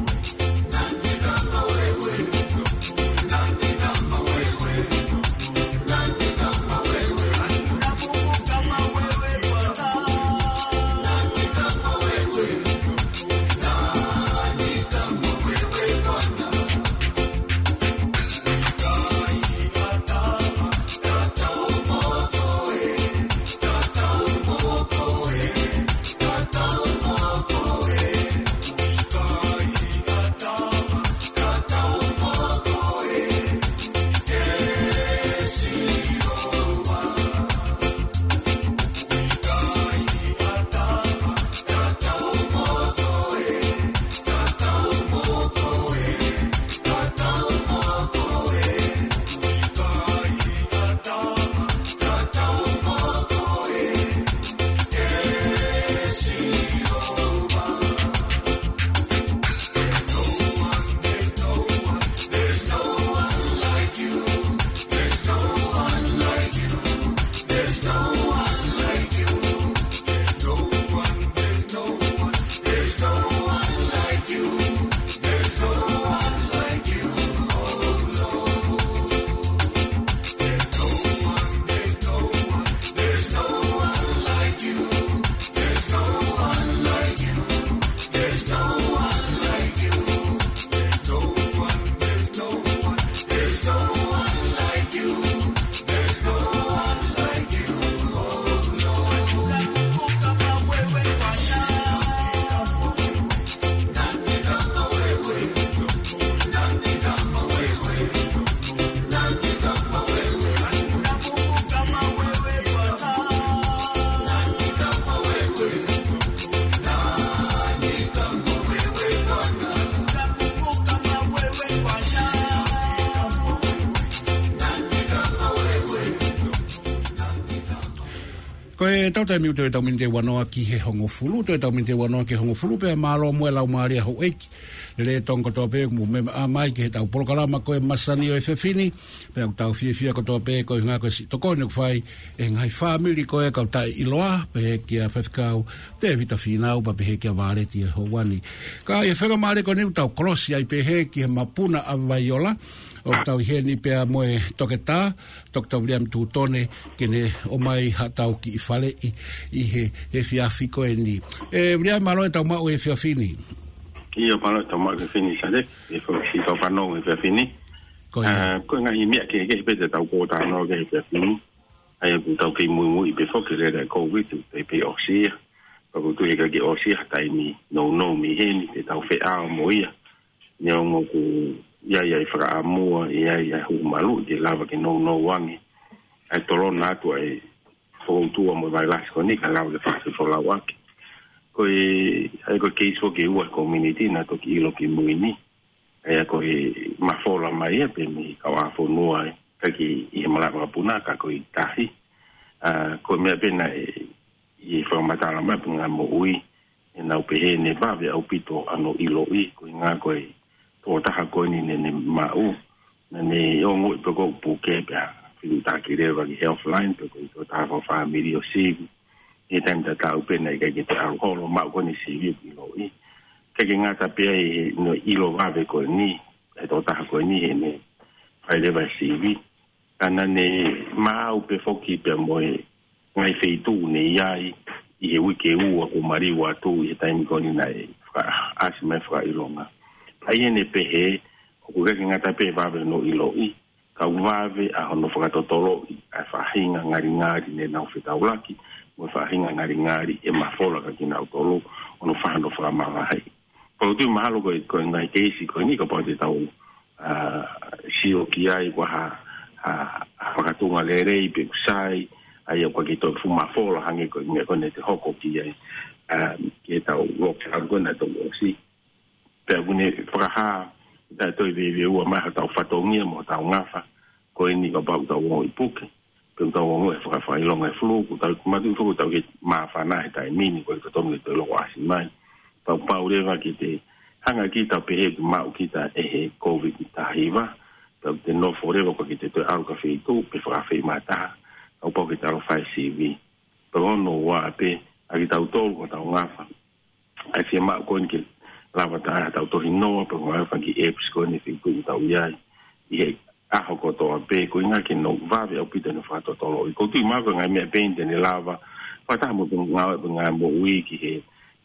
Ko ʻetau taimi ʻoku toe ʻetau miniti ʻe uanoa ki he hongofulu, toe ʻetau miniti ʻe uanoa ki he hongofulu, pea mālō muʻa e laumālie ʻa houʻeiki lelei ʻo Tonga kotoa pē ʻoku mou meʻa mai ki heʻetau polokalama ko e Masani ʻo e Efiafi ni, pea ʻoku tau fiefia kotoa pē koeʻuhinga ko e siʻi tokoni ʻoku fai ʻe he ngaahi fāmili ko e kau taʻeʻiloa, pehē kia Faifekau Tēvita Fīnau, pea pehē kia Vāleti ʻi he houa ni. Ka ʻi he faingamālie ko eni ʻoku tau kolosi ai pē heni ki he mapuna ʻa Vaiola, ʻoku tau ʻi heni pea mo e toketā, Toketā Viliami Tutone, ke ne ʻomai haʻatau kiʻi faleʻi ʻi he, he efiafi ko eni. ʻE, Viliami, mālō e tau maʻu e efiafi ni. ʻIo, mālō e tau maʻu e efiafi ni, Sale. ʻE fo-, si tau fanongo e efiafi ni. Ko ia. Ā, ko e ngaahi meʻa kehekehe pē te tau kōtano ki he efiafi ni. ʻA ia ʻoku tau kei muimui pē foki ki he lele ʻa e Covid, pea pē ʻosi ia. Pea ʻoku tui ʻe ʻikai ke ʻosi ha taimi nounou mei heni, te tau feʻao mo ia. Neongo ʻoku ʻi ai ʻa e fakaʻamua, ʻi ai ʻa e huhu maluʻi ke lava ke nounou ange ʻa e tolona atu ʻa e fokoutua mo e vailasi ko eni, ka lava ke fakafolau ʻaki. Ko e, ʻa ia ko e keisi foki ʻe ua he community naʻa toki ʻilo kimui ni. ʻA ia ko e mafola mai ia pē mei he kau ʻāfonua, ʻikai ke ʻi he malaʻe vakapuna ka ko e tahi. Ā, ko e meʻa pē naʻe ʻi he fakamatala mai ʻa e Puleʻanga Moʻui, ʻenau pehē naʻe vave ʻaupito ʻa hono ʻiloʻi, koeʻuhinga ko e tokotaha ko eni naʻa ne maʻu, naʻa ne ongoʻi pē ko e puke pea fiu taki leva ki he Healthline, pe ko e tokotaha fakafāmili ʻo sivi. ʻI he taimi tatau pē naʻe ʻikai ke toe ʻalu holo, maʻu ko eni sivi ʻiloʻi. ʻIkai ke ngata pē ai hono ʻilo vave ko eni, ʻe he tokotaha ko eni heʻene fai leva e sivi. Ka naʻa ne maʻu pē foki pea mo e ngaahi feituʻu naʻe ʻi ai ʻi he uike ua kuo maliu atu ʻi he taimi ko eni naʻe fakaʻasi mai fakaʻilonga. ʻA ia naʻe pehē, ʻoku ʻikai ke ngata pē vave hono ʻiloʻi, Tau vave ʻa hono fakatotoloʻi ʻa e faʻahinga ngalingali ne nau fetaulaki, mo e faʻahinga ngalingali ʻe mafola kia kinautolu, hono faʻa hono fakamavaheʻi. Pea ʻoku ou tui mahalo ko e, ko e ngaahi keisi ko eni kapau te tau, ā, sio ki ai ko ha, ha, ha fakatunga lelei pe ʻoku sai, ʻa ia ʻoku ʻikai ke toe fuʻu mafola hangē ko e meʻa ko eni te hoko ki ai, ā, ke tau loke atu ko ena tau ʻosi. Pea ʻoku ne fakahā, ʻa e toe veiveiua mai hotau fatongia mo hotau ngafa, ko eni kapau tau ongoʻi puke, pe tau ongoʻi e fakafaʻahinga e flu, ʻoku tau mātuʻaki foki tau ke māfana he taimi ni, ʻoku ʻikai totonu ke toe loko ʻasi mai. Pea ʻoku pau leva ke te hanga kita pehē ʻoku maʻu kita ʻe he Covid taha hiva, pea ʻoku te nofo leva ʻoku ʻikai ke te toe ʻalu ki ha feituʻu, pe fakaafeʻi mai ha taha, ʻoku pau ke te ʻalu ʻo fai sivi. Pea ko hono ua pē, ʻa kitautolu ko hotau ngafa, ʻa e fiemaʻu ko eni ke lava ʻo ʻai haʻatau tohinoa, pea mo e fanga kiʻi apps ko eni ʻi he feituʻu ʻoku tau ʻi ai. ʻI he ʻaho kotoa pē, ko e ʻuhinga ke nau vave ʻaupito ʻene fakatotoloʻi. ʻOku ou tui mahalo ko e ngaahi meʻa pē eni te ne lava, fakataha mo e ngāue, mo e ngaahi moʻui ki he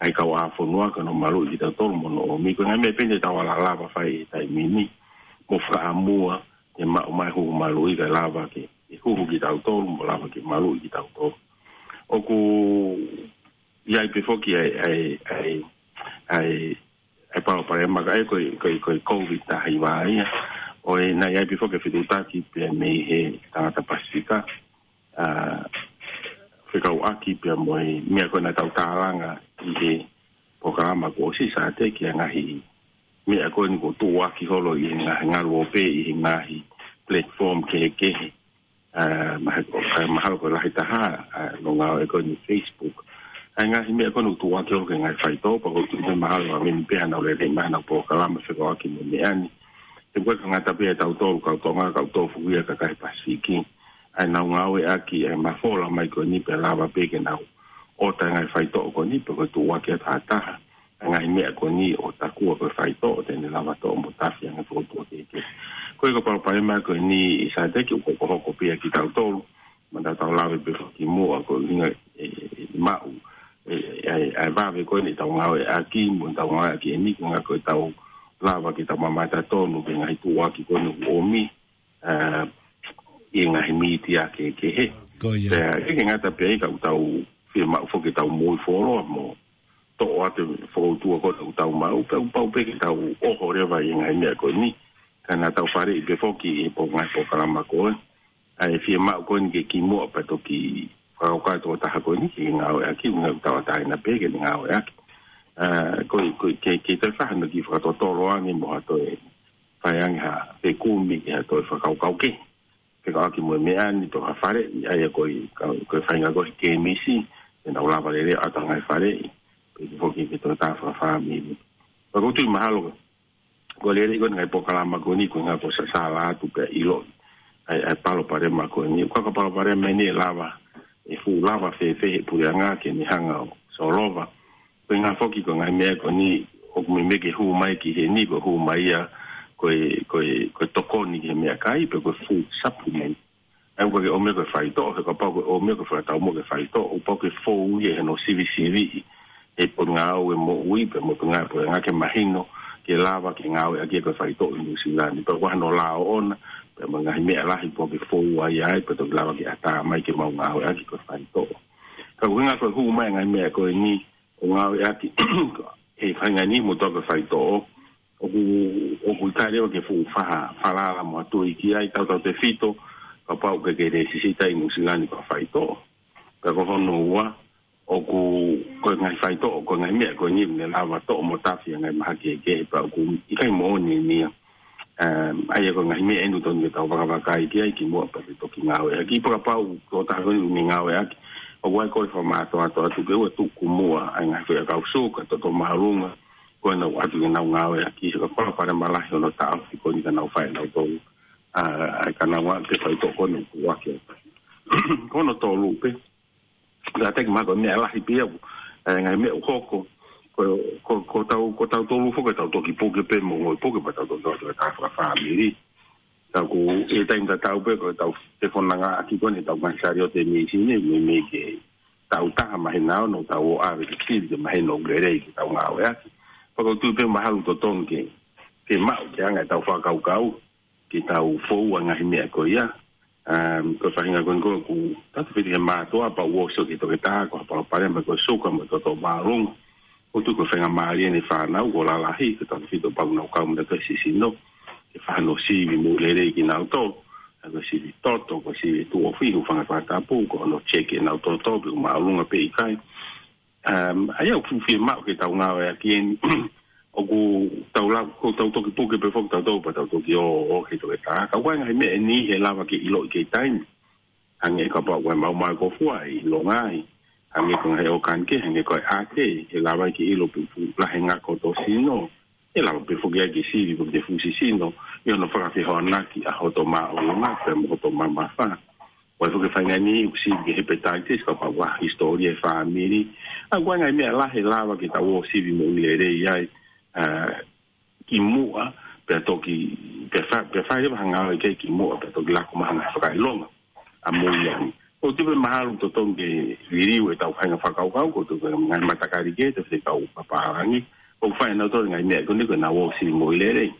ngaahi kauʻāfonua, ke nau maluʻi kitautolu mo hono ʻomi. Ko e ngaahi meʻa pē eni te tau ala lava fai he taimi ni. Mo fakaʻamua, ke maʻu mai huhu maluʻi kae lava ke, ke huhu kitautolu, mo lava ke maluʻi kitautolu. ʻOku ʻi ai pē foki ʻa e, ʻa e, ʻa e, ʻa e, ʻa e palopalema ka ʻe ko e, ko e, ko e Covid taha hiva ia. ʻOku ʻi ai pē foki e fetuʻutaki pea mei he tangata Pasifika, ā, fekauʻaki pea mo e meʻa ko ena tau tālanga ʻi he polokalama kuo ʻosi, Sateki, ʻa e ngaahi meʻa ko eni kuo tuʻuaki holo ʻi he ngaahi ngaluope, ʻi he ngaahi platform kehekehe. Ā, maha-, ʻa e mahalo ko e lahi taha, ā, ʻo e ngāue ko eni Facebook. ʻA e ngaahi meʻa ko eni ʻoku tuʻuaki holo ki he ngaahi faitoʻo, pea ʻoku ou tui mahalo ʻa e mini pea nau lele mai ʻenau polokalama fekauʻaki mo e meʻa ni. He ʻoku ʻikai ke ngata pē ʻia tautolu kau Tonga, kau tofu ia, kakai Pasifiki. ʻA ʻenau ngāueʻaki ʻa e mafola mai ko eni pea lava pē ke nau ʻota e ngaahi faitoʻo ko eni, pe ko e tuʻuaki ʻa e taha taha ʻa e ngaahi meʻa ko eni ʻo takua ko e faitoʻo te ne lava toʻo mo tafi ange fokotuʻu kehekehe. Ko e ko e palopalema ko eni, Sateki, ʻoku hokohoko pē ia kia kitautolu, mo ʻetau lave pē foki ki muʻa, ko e ʻuhinga ʻe, ʻe maʻu ʻe, ʻe, ʻe, ʻe vave ko eni ʻetau ngāueʻaki, mo ʻetau ngāueʻaki eni, ko e ʻuhinga ko ʻetau lava ke tau mamata tonu ki he ngaahi tuʻuaki ko eni ʻoku ʻomi, ā, ʻi he ngaahi mītia kehekehe. Ko ia. Pea ʻikai ke ngata pē ai ka ʻoku tau fiemaʻu foki ke tau moʻui fuoloa mo toʻo atu e fokoutua ko ē ʻoku tau maʻu, pea ʻoku pau pē ke tau ʻoho leva ʻi he ngaahi meʻa ko eni. Ka naʻa tau faleʻi pē foki ʻi he pō ngaahi polokalama ko ē ʻa e fiemaʻu ko eni ke kimuʻa pea toki fakakaukau e tokotaha ko eni ke ngāueʻaki, ʻuhinga ʻoku tauʻatāina pē ke ne ngāueʻaki. Ā, ko e, ko e, ke, ke toe fai hano kiʻi fakatotolo ange mo ha toe fai ange ha fekumi ki ha toe fakakaukau kehe fekauʻaki mo e meʻa ni, pe ko ha faleʻi, ʻa ia ko e, ka, ko e faʻahinga ko e kēmisi, te nau lava lelei ʻo ʻatu ha ngaahi faleʻi, pe ko e foki ki he tokotaha fakafāmili. Pea ʻoku ou tui mahalo ko e lelei ko eni e ngaahi polokalama ko eni, ko e ʻuhinga ko e sasala atu pea ʻiloʻi ʻa e, ʻa e palopalema ko eni. ʻOku ʻikai ko e palopalema eni ʻe lava, ʻe fuʻu lava fēfē ʻe he puleʻanga ke ne hanga ʻo solova. Ko e ʻuhinga foki ko e ngaahi meʻa ko eni, ʻoku meimei ke hū mai ki heni, ko e hū mai ia ko e, ko e, ko e tokoni ki he meʻakai, pe ko e food supplement. ʻA ia ʻoku ʻikai ke ʻomai ko e faitoʻo, he kapau ko e ʻomai ko e fakataumuʻa ki he faitoʻo, ʻoku pau ke fou ia ʻi hono sivisiviʻi ʻe he Potungāue Moʻui pea mo e Potungāue Puleʻanga ke mahino ke lava ke ngāueʻaki ko e faitoʻo ʻi Nuʻusila ni. Pea ʻoku ʻi ai hono lao ʻoʻona, pea mo e ngaahi meʻa lahi ʻoku pau ke fou ai ai, pea toki lava ke ʻatā mai ke mau ngāueʻaki ko e faitoʻo. Ka ko e ʻuhinga ko e hū mai e ngaahi meʻa ko eni ʻo ngāueʻaki he faʻahinga ni mo tau ko e faitoʻo, ʻoku, ʻoku ʻikai leva ke fuʻu faʻa falala mo ʻatu i ki ai tautautefito kapau ʻoku ʻikai ke lēsisita ʻi Nuʻusila ni ko ha faitoʻo. Pea ko hono ua, ʻoku, ko e ngaahi faitoʻo, ko e ngaahi meʻa ko eni ʻoku ne lava toʻo mo tafi ʻa e ngaahi mahaki kehekehe, pea ʻoku ʻikai moʻoni eni ia. Um, ʻa ia ko e ngaahi meʻa eni ʻoku totonu ke tau vakavakai ki ai kimuʻa pea te toki ngāueʻaki. Pea kapau ko e tokotaha ko eni ʻoku ne ngāueʻaki, ʻoku ʻi ai ko e fakamātoato atu ke ʻoua ʻe tuku muʻa ʻa e ngaahi foʻiʻakau suka, toto māʻolunga, ko ena ʻoku ʻatu ke nau ngāueʻaki, he ko e palopalema lahi hono taʻofi ko eni ka nau fai ʻe nautolu, ā, ʻa e ka nau ngāueʻaki e faitoʻo ko eni ʻoku ʻoatu. Ko hono tolu pē, Sateki, mahalo ko e meʻa lahi pē ia, ē, ngaahi meʻa ʻoku hoko, ko, ko, ko tau, ko tautolu foki ʻoku tau toki puke pē mo ongoʻi puke pea tau toki ʻoatu e taha fakafāmili. Ka ʻoku ʻi he taimi tatau pē ko ʻetau telefonongaʻaki ko eni ʻetau ngaahi saliote mīsini, meimei ke tau taha mahino ʻoku tau ō ʻo ʻave ke sivi ke mahino ʻoku lelei ke tau ngāueʻaki. Pea ʻoku ou tui pē mahalo ʻoku totonu ke, ke maʻu ke anga ʻetau fakakaukau. ke tau fou ʻa e ngaahi meʻa ko ia. Um, ko e faʻahinga ko eni ko ē ʻoku tau tefiti he mātuʻa pea ʻoku ʻosi ʻo ki he toketā, ko ha palopalema ko e suka mo e toto māʻolunga. ʻOku tuʻu ko e faingamālie ʻene fānau ko e lalahi, ko e tau tefiti pau nau kau mo e sisino. Ke fai hano sivi moʻui lelei kinautolu. Ko e sivi toto, ko e sivi tuʻo fihi, hūfanga he fakatapu, ko hono check ʻenau toto, pe ʻoku māʻolunga pe ʻikai. Um, ʻa ia ʻoku fiemaʻu ke tau ngāueʻaki eni, ʻoku tau lau, ko tau toki puke pē foki tautolu pea tau toki ō, ō ki he toketā. Ka ʻoku ʻi ai e ngaahi meʻa eni ʻe lava ke ʻiloʻi ʻi he taimi. Hangē kapau ʻoku ʻi ai e maumau ʻi he kōfuaʻi, ʻiloange ai. Hangē ko e ngaahi ʻōkani kehe, hangē ko e ʻapi, ʻe lava ke ʻilo pe ʻoku fuʻu lahi e ngako hoto sino. ʻE lava pē foki ia ke sivi pe ʻoku te fuʻu sisino, ʻi hono fakafehoanaki ʻa hoto māʻolunga, pea mo hoto mamafa. ʻOku ʻi ai foki e faʻahinga eni ʻoku sivi ki he hepatitis, kapau ʻoku ʻi ai ha hisitōlia he fāmili. ʻA ia ʻoku ʻi ai e ngaahi meʻa lahi ʻe lava ke tau ō sivi moʻui lelei ai, ā, kimuʻa, pea toki, pea fa-, pea fai leva ha ngāue ki ai kimuʻa, pea toki lako mai ha ngaahi fakaʻilonga ʻa moʻui ai. ʻOku tuʻu pē mahalo ʻoku totonu ke liliu ʻetau faʻahinga fakakaukau, ko e tuʻu pē ngaahi matakali kehe, tefito ʻetau pālangi. ʻOku fai ʻenautolu e ngaahi meʻa ko eni ko ʻenau ō sivi moʻui lelei.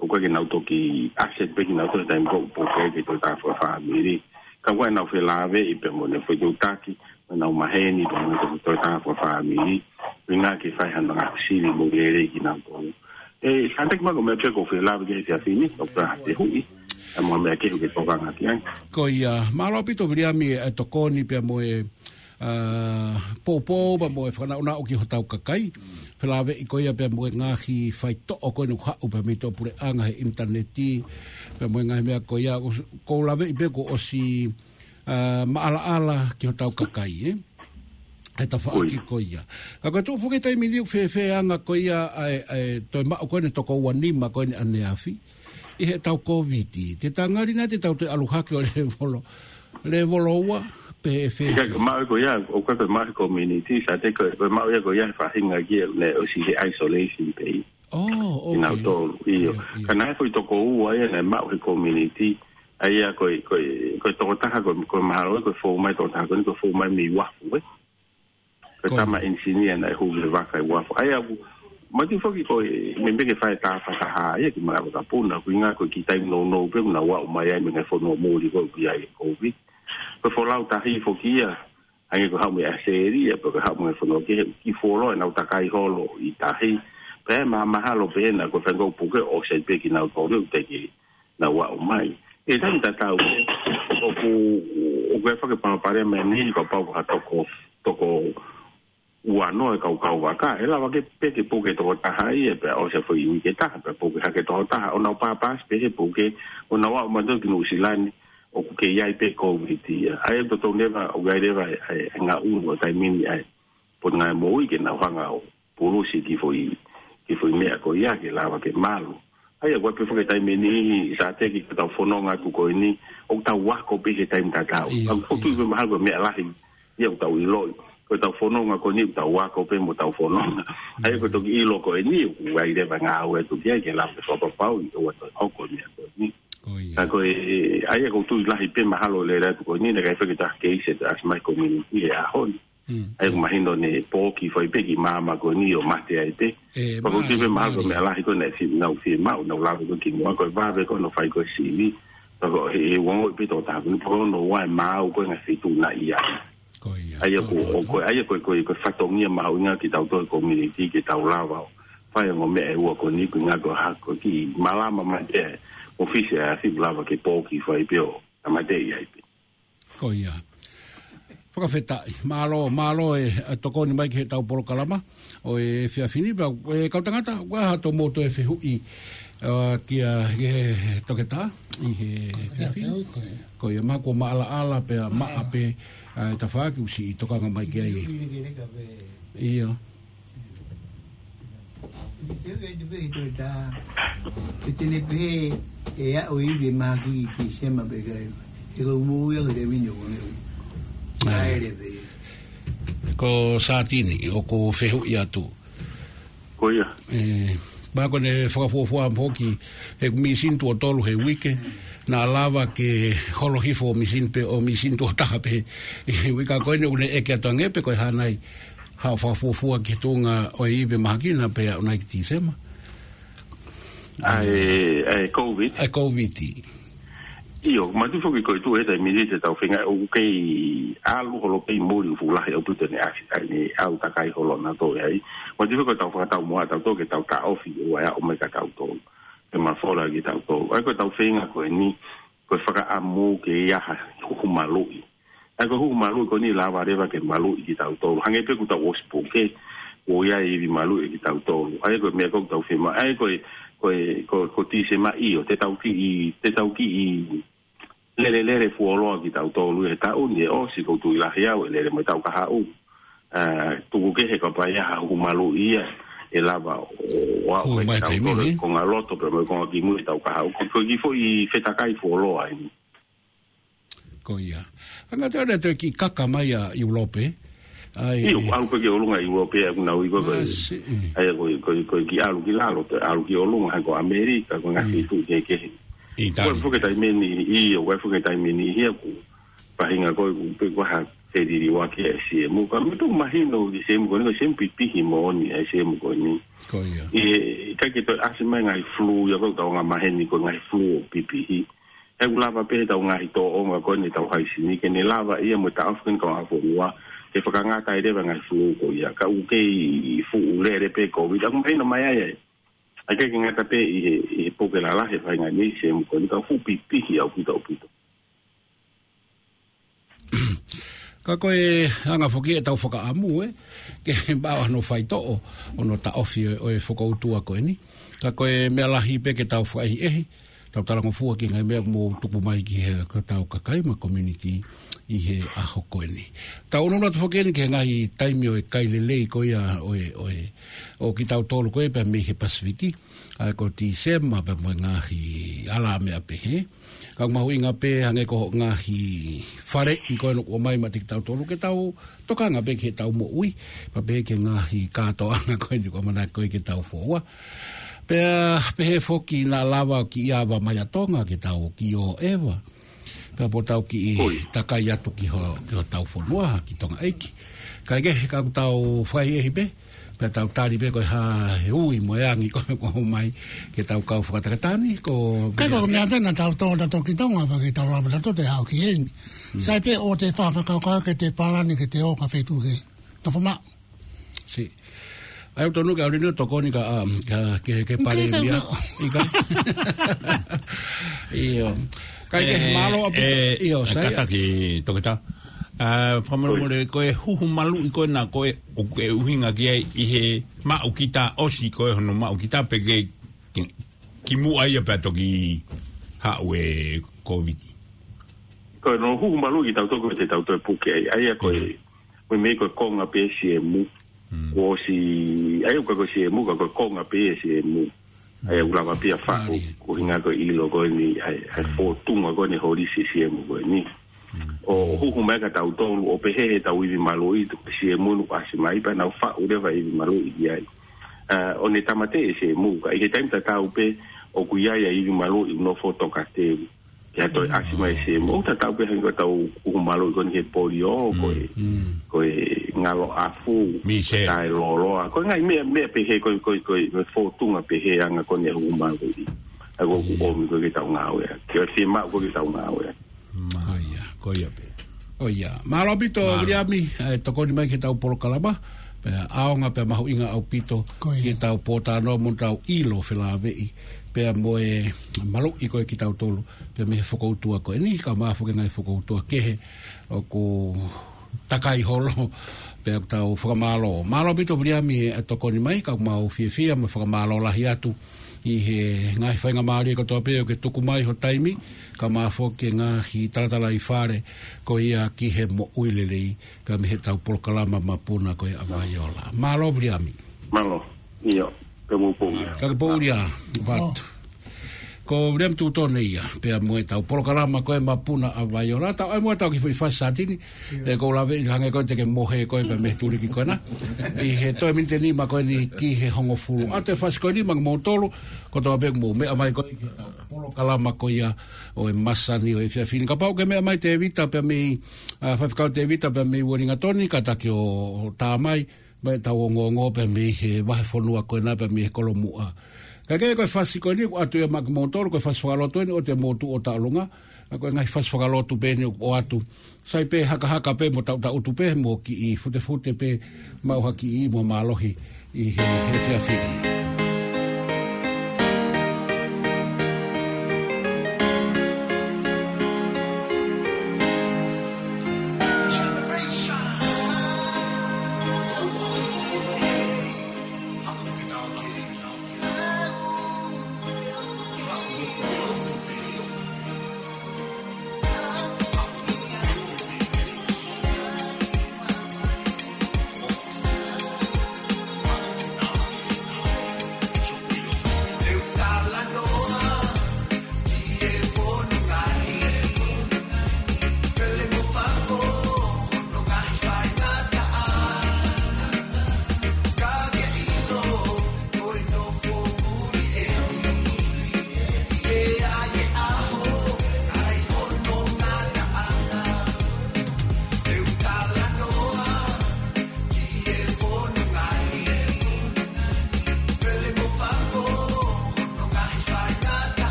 ʻOku ʻikai ke nau toki access pē kinautolu he taimi ko ē ʻoku puke ai ki he toketā fakafāmili. Ka ʻoku ʻi ai ʻenau felāveʻi pea mo ʻenau fetuʻutaki, mo ʻenau maheni, pea mo e toketā fakafāmili. ʻUhinga ke fai hano ngaahi sivi moʻui lelei kinautolu. ʻE, Sante, kimuʻa ko e meʻa pē ia ʻoku ou fie lave ki ai he efiafi ni, ʻoku ʻi ai ha fehuʻi. ʻA e meʻa kehe ʻoku ke tokanga ki ai. Ko ia, mālō ʻaupito Viliami e tokoni pea mo e, ā, poupou pea mo e fakanaʻonaʻo ki hotau kakai. Felāveʻi ko ia pea mo e ngaahi faitoʻo ko eni ʻoku haʻu pea mei he puleʻanga he ʻinitaneti, pea mo e ngaahi meʻa ko ia, ʻoku ou laveʻi pē kuo ʻosi, ā, maʻalaʻala ki hotau kakai, ē? He tafaʻaki ko ia. Ka ko e tuʻu foki he taimi ni ʻoku fēfē e anga ko ia ʻa e, ʻa e toe maʻu ko eni e toko ua nima ko eni ʻaneafi ʻi heʻetau Kōviti. Te tau ngali nai te tau toe ʻalu hake ʻo lēvolo, lēvolo ua pe ʻe fēfē? Ka ko e maʻu ko ia, ʻoku ʻikai ko e maʻu he community, Sante, ko e, ko e maʻu ia ko ia he faʻahinga ki he, ne ʻosi he isolation pē ia. Oh, okay. Kinautolu, ʻio. ʻIo, ʻio. Ka naʻe foʻi toko ua ia naʻe maʻu he community, ʻa ia ko e, ko e, ko e tokotaha, ko e, ko e mahalo, ko e fou mai tokotaha ko eni, ko e fou mai mei Uafu, ē? Ko e tama ʻenisinia naʻe hū he vaka ʻi Uafu. ʻA ia ʻoku, mati foki ko e, meimei ke fai e tāfataha ia ki Malaʻe Vakapuna, ʻuhinga ko e kiʻi taimi nounou pē, ʻoku nau aʻu mai ai mei he ngaahi fonua muli ko ē ʻoku ʻi ai e Kōviti. Ko e folau tahi foki ia, hangē ko e haʻu mei ʻAositelēlia, pe ko e haʻu mei he fonua kehe, kiʻi fuoloa ʻenau takai holo ʻi tahi, pea mahamahalo pē ena ko e faʻahinga ʻoku puke ʻosi ai pē kinautolu ʻoku teʻeki ke nau aʻu mai. ʻI he taimi tatau, ʻoku, ʻoku ʻi ai foki e palopalema eni, kapau ko ha toko, toko ua noa e kau kauvaka, ʻe lava ke pē ke puke tokotaha ia, pea ʻosi e foʻi uike ʻe taha, pea puke hake tokotaha, ʻo nau pāpasi pē he puke, ʻo nau aʻu mai ki Nuʻusila ni, ʻoku kei ʻi ai pē Kōviti ia. ʻA ia ʻoku totonu leva, ʻoku ʻi ai leva e, e, e ngaʻunu ʻo e taimi ni ʻa e Potungāue Moʻui ke nau hanga ʻo pulusi e kiʻi foʻi, kiʻi foʻi meʻa ko ia ke lava ke malu. ʻA ia, ʻoku ʻi ai pē foki e taimi ʻe niʻihi, Sante, ko ʻetau fononga atu ko eni, ʻoku tau ako pē he taimi tatau. ʻIo, ʻoku ou tui ʻio. Pē mahalo ko e meʻa lahi ia ʻoku tau ʻiloʻi. Ko ʻetau fononga ko eni ʻoku tau ako pē mo ʻetau fononga. ʻA ia, ko e toki ʻilo ko eni, ʻoku ʻi ai leva e ngāue atu ki ai ke lava ke fakapapauʻi ʻoua toe hoko e meʻa ko eni. Ko ia. Ka ko e, ʻa ia ʻoku ou tui lahi pē mahalo lele atu ko eni, naʻe ʻikai fai ke toe keisi ʻe taha ʻasi mai he community he ʻaho ni. Mm. ʻA ia ʻoku mahino naʻe pōki fai pē ki māmani ko eni ʻo mate ai pē. ʻE, pea ʻoku ou tui pē mahalo ko e meʻa lahi ko ē naʻe fi-, nau fiemaʻu, nau lave ko ē kimuʻa, ko e vave ko ē hono fai ko ē sivi. Pea ko e, he ongoʻi pē tokotaha ko eni, pea ko hono ua e maau ko ē ngaahi feituʻunaʻia. Ko ia, ʻa ia ko, ko, ko, ko, ʻa ia ko, ko, ko e fatongia mahuʻinga kitautolu he community ke tau lava ʻo fai e ongo meʻa ʻe ua ko eni, ko e ʻuhinga ko e hā, ko e kiʻi malama mai pē mo e fisi ʻa e afi ʻoku lava ke pōki fai pē ʻo tāmateʻi ai pē. Ko ia. Fakafetaʻi. Mālō, mālō e, e tokoni mai ki heʻetau polokalama ʻo e efiafi ni, pea, e kau tangata, ʻoku ʻi ai haʻato mou toe fehuʻi, ā, kia, ki he toketā ʻi he efiafi ni? Ko ia. Ko ia, mahalo kuo maʻalaʻala pea maʻa pē, ā, e tafaʻaki ʻoku siʻi tokanga mai ki ai. ʻIo. Te u ʻai te pehē, te u tā. Te te ne pehē, ʻe aʻu e ivi mahaki ʻi Tīsema pe ʻikai. He ko e moʻui ʻa e taimi ni ʻoku ne u. ʻAi. ʻAi leva. Ko Satini, ʻoku fehuʻi atu. Ko ia. ʻE, mahalo ko ʻene fakafuofua foki, he misini tuʻo tolu he uike, naʻa lava ke holo hifo misini pē, ʻo misini tuʻo taha pē. ʻI he uike ko eni ʻoku ne ʻeke atu ange pe ko e hā nai haʻo fakafuofua ki he tuʻunga ʻo e ivi mahaki naʻa pē aʻu nai ki Tīsema. ʻa e, ʻa e COVID. ʻA e COVID. ʻIo, manatuʻi foki ko e tuʻu he taimi ni te tau feinga ʻoku kei ʻalu holo pē ʻi muli, fuʻu lahi ʻaupito ʻene ʻasi, ʻa ʻene ʻalu takai holo naʻa tau ʻi ai. Manatuʻi foki ko ʻetau fakataumuʻa ʻatautolu ke tau taʻofi ʻo ʻai ʻo mai kia tautolu. Ke mafola kia tautolu. ʻA ia ko ʻetau feinga ko eni, ko e fakaʻamu ke ʻi ai ha huhu maluʻi. ʻA ia ko e huhu maluʻi ko eni lava leva ke maluʻi kia tautolu. Hangē pē ko ʻetau ʻosi puke, ʻoku ʻi ai e ivi maluʻi kia tautolu. ʻA ia ko e meʻa ko ē ʻoku tau fiemaʻu. ʻA ia ko e, ko e, ko, ko Tīsema ʻio, te tau kiʻi, te tau kiʻi lele lele fuoloa kia tautolu he taʻu ni ʻe ʻosi, ʻoku ou tui lahi au ʻe lele mo e taʻu kahaʻu. ʻA, tuku kehe kapau ʻe ʻi ai ha huhu maluʻi ia ʻe lava ʻo, ʻo aʻu mai kia tautolu, ko e ngaahi loto pē mo e konga kimui ʻe taʻu kahaʻu. Ko, ko e kiʻi foʻi fetakai fuoloa eni. Ko ia. Anga te ona te kiʻi kaka mai ʻa ʻIulope. ʻA ia, ʻoku ʻalu pē ki ʻolunga ʻIulope ʻa ʻoku nau ui ko e, ʻa ia ko e, ko e, ko e kiʻi ʻalu ki lalo, te ʻalu ki ʻolunga, hangē ko ʻAmelika, ko e ngaahi feituʻu kehekehe. Ko e fuʻu taimi ni, ʻio, ko e fuʻu taimi ni, ʻi heʻeku faʻahinga ko ē, ʻoku pē ko ha feliliuaki ʻa e CMU. Ka me tu mahino ki CMU ko eni, ko e CMU pipihi moʻoni ʻa e CMU ko eni. Ko ia. ʻIkai ke toe ʻasi mai ngaahi flu, ia ko e tau ngaahi maheni ko e ngaahi flu ʻo pipihi. ʻOku lava pē ʻetau ngaahi tōʻonga ko eni ʻetau haisini, ke ne lava ia mo e taʻofi ko eni kau ʻafonua, ke fakangata ai leva ngaahi flu ko ia, ka ʻoku kei fuʻu lele pē COVID, ʻoku mahino mai ai ai. ʻIkai ke ngata pē ʻi he, ʻi he puke lalahi ʻa e faʻahinga ni, CMU ko eni ka fuʻu pipihi ʻaupito ʻaupito. Ka ko e anga foki ʻetau fakaʻamu, ē, ke maʻu hano faitoʻo, ʻo hono taʻofi ʻo e, ʻo e fokoutua ko eni. Ka ko e meʻa lahi pē ke tau fakaʻehiʻehi, tau talangofua ki he ngaahi meʻa ʻoku mou tuku mai ki he, ko ʻetau kakai mo e community ʻi he ʻaho ko eni. Tau ʻunuʻunu atu foki eni ki he ngaahi taimi ʻo e kai lelei ko ia ʻo e, ʻo e, ʻo kitautolu ko ē pea mei he Pasifiki, ʻa ia ko Tīsema pea mo e ngaahi ala meʻa pehē. Ka ʻoku mahuʻinga pē hangē ko e ngaahi faleʻi ko ē ʻoku ʻomai maʻa kitautolu ke tau tokanga pē ki heʻetau moʻui. Pea pehē ki he ngaahi kātoanga ko eni ʻoku ʻamanaki ko ē ke tau foua. Pea pehē foki naʻa lava ʻo kiʻi ava mai ʻa Tonga ke tau kiʻi ō ʻeva. Pea pō tau kiʻi takai atu ki ho, ki hotau fonua, ki Tonga ʻeiki. Kae kehe ka ʻoku tau fakaʻehiʻehi pē, pea tau tali pē ko e hā e ui mo e angi ko ē ʻoku ʻomai ke tau kau fakatakatani, ko e meʻa pē naʻa tau tō naʻa tau ki Tonga, pea ke tau lava naʻa tau te hao ki heni. Sai pē ʻoku te fakakaukau ke te palani ke te ō ki ha feituʻu ke nofo maʻu. Si. ʻA ia ʻoku tonu ke ʻalu ni ʻo tokoni ka, um, ka, ke, ke pale mia. ʻIkai. ʻIo. Kae kehe, mālō ʻaupito. ʻIo, sai. Kātaki, Toketā. ʻA, fakamolemole, ko e huhu maluʻi ko ena ko ē ʻoku ke ʻuhinga ki ai ʻi he maʻu kita ʻosi ko ē hono maʻu kita pe ke, ke kimuʻa ia pea toki haʻu e COVID. Ko hono huhu maluʻi kitautolu ko ē te tau toe puke ai. ʻA ia ko e, ko e meʻa ko e konga pē CMU. Kuo ʻosi, ʻa ia ʻoku ʻikai ko e CMU, ka ko e konga pē ia CMU. ʻA ia ʻoku lava pē ia faʻu, ko e ʻuhinga ko e ʻilo ko eni, ʻa e, ʻa e fōtunga ko eni holisi CMU ko eni. ʻO huhu mai kia tautolu, ʻo pehē ʻetau ivi maluʻi, tuku CMU ʻoku ʻasi mai, pea nau faʻu leva ivi maluʻi ki ai. ʻA, ʻo ne tāmateʻi e CMU, ka ʻi he taimi tatau pē, ʻoku ʻi ai ʻa e ivi maluʻi, nofo tokateu. Ke ʻoua toe ʻasi mai e CMU, ʻoku tatau pē hangē ko ʻetau huhu maluʻi ko eni ki he polio, ko e, ko e ngalo ʻafu, taʻeloloa. Ko e ngaahi meʻa, meʻa pehē, ko e, ko e, ko e, ko e fōtunga pehē anga ko eni e huhu maluʻi. ʻA ia ʻoku ʻomi ko ē ke tau ngāueʻaki. Ke fiemaʻu ko ē ke tau ngāueʻaki. Ko ia, ko ia pē. Ko ia. Mālō ʻaupito, Viliami, ʻa e tokoni mai ki heʻetau polokalama. Pea ʻaonga pea mahuʻinga ʻaupito ki heʻetau pōtalanoa mo ʻetau ʻilo felāveʻi. Pea mo e maluʻi ko ē kitautolu. Pea mei he fokoutua ko eni, kae ʻumaʻā foki e ngaahi fokoutua kehe ʻoku takai holo, pea ʻoku tau fakamālō. Mālō ʻaupito Viliami e tokoni mai, ka ʻoku mau fiefia mo fakamālō lahi atu ʻi he ngaahi faingamālie kotoa pē ʻoku ke tuku mai ho taimi, kae ʻumaʻā foki e ngaahi talatalaifale ko ia ki he moʻui lelei, pea mei heʻetau polokalama Mapuna ko ia ʻa Vaiola. Mālō Viliami. Mālō. ʻIo, ka mou pō ʻia. Ka ke pō ʻia, Vatu. Ko Viliami Tutone ia, pea mo ʻetau polokalama ko e Mapuna ʻa Vaiola, tau ʻai mo ʻetau kiʻi foʻi fasi satini, ʻe ko lave ʻi hangē ko ē te ke mohe ko ē pea mei he tuliki ko ena. ʻI he toe miniti ʻe nima ko eni ki he hongofulu. ʻA e fasi ko eni maʻa moutolu, kotoa pē mou meʻa mai ko ē ki heʻetau polokalama ko ia ʻo e masani ʻo e efiafi ni. Kapau ʻoku ke meʻa mai Tēvita pea mei, ʻa, Faifekau Tēvita pea mei Uelingatoni, kātaki ʻo, ʻo tā mai, mai tau ongoongo pea mei he vahefonua ko ena pea mei he kolomuʻa Ka ke ko e fasi ko eni ʻoku ʻoatu ia maʻa kimoutolu, ko e fasi fakalotu eni ʻoku te motu ʻo taʻolunga, ʻa ko e ngaahi fasi fakalotu pē eni ʻoku ʻoatu. Sai pē hakahaka pē mo taʻutaʻutu pē mo kiʻi futefute pē maʻu ha kiʻi mo mālohi ʻi he, he efiafi ni.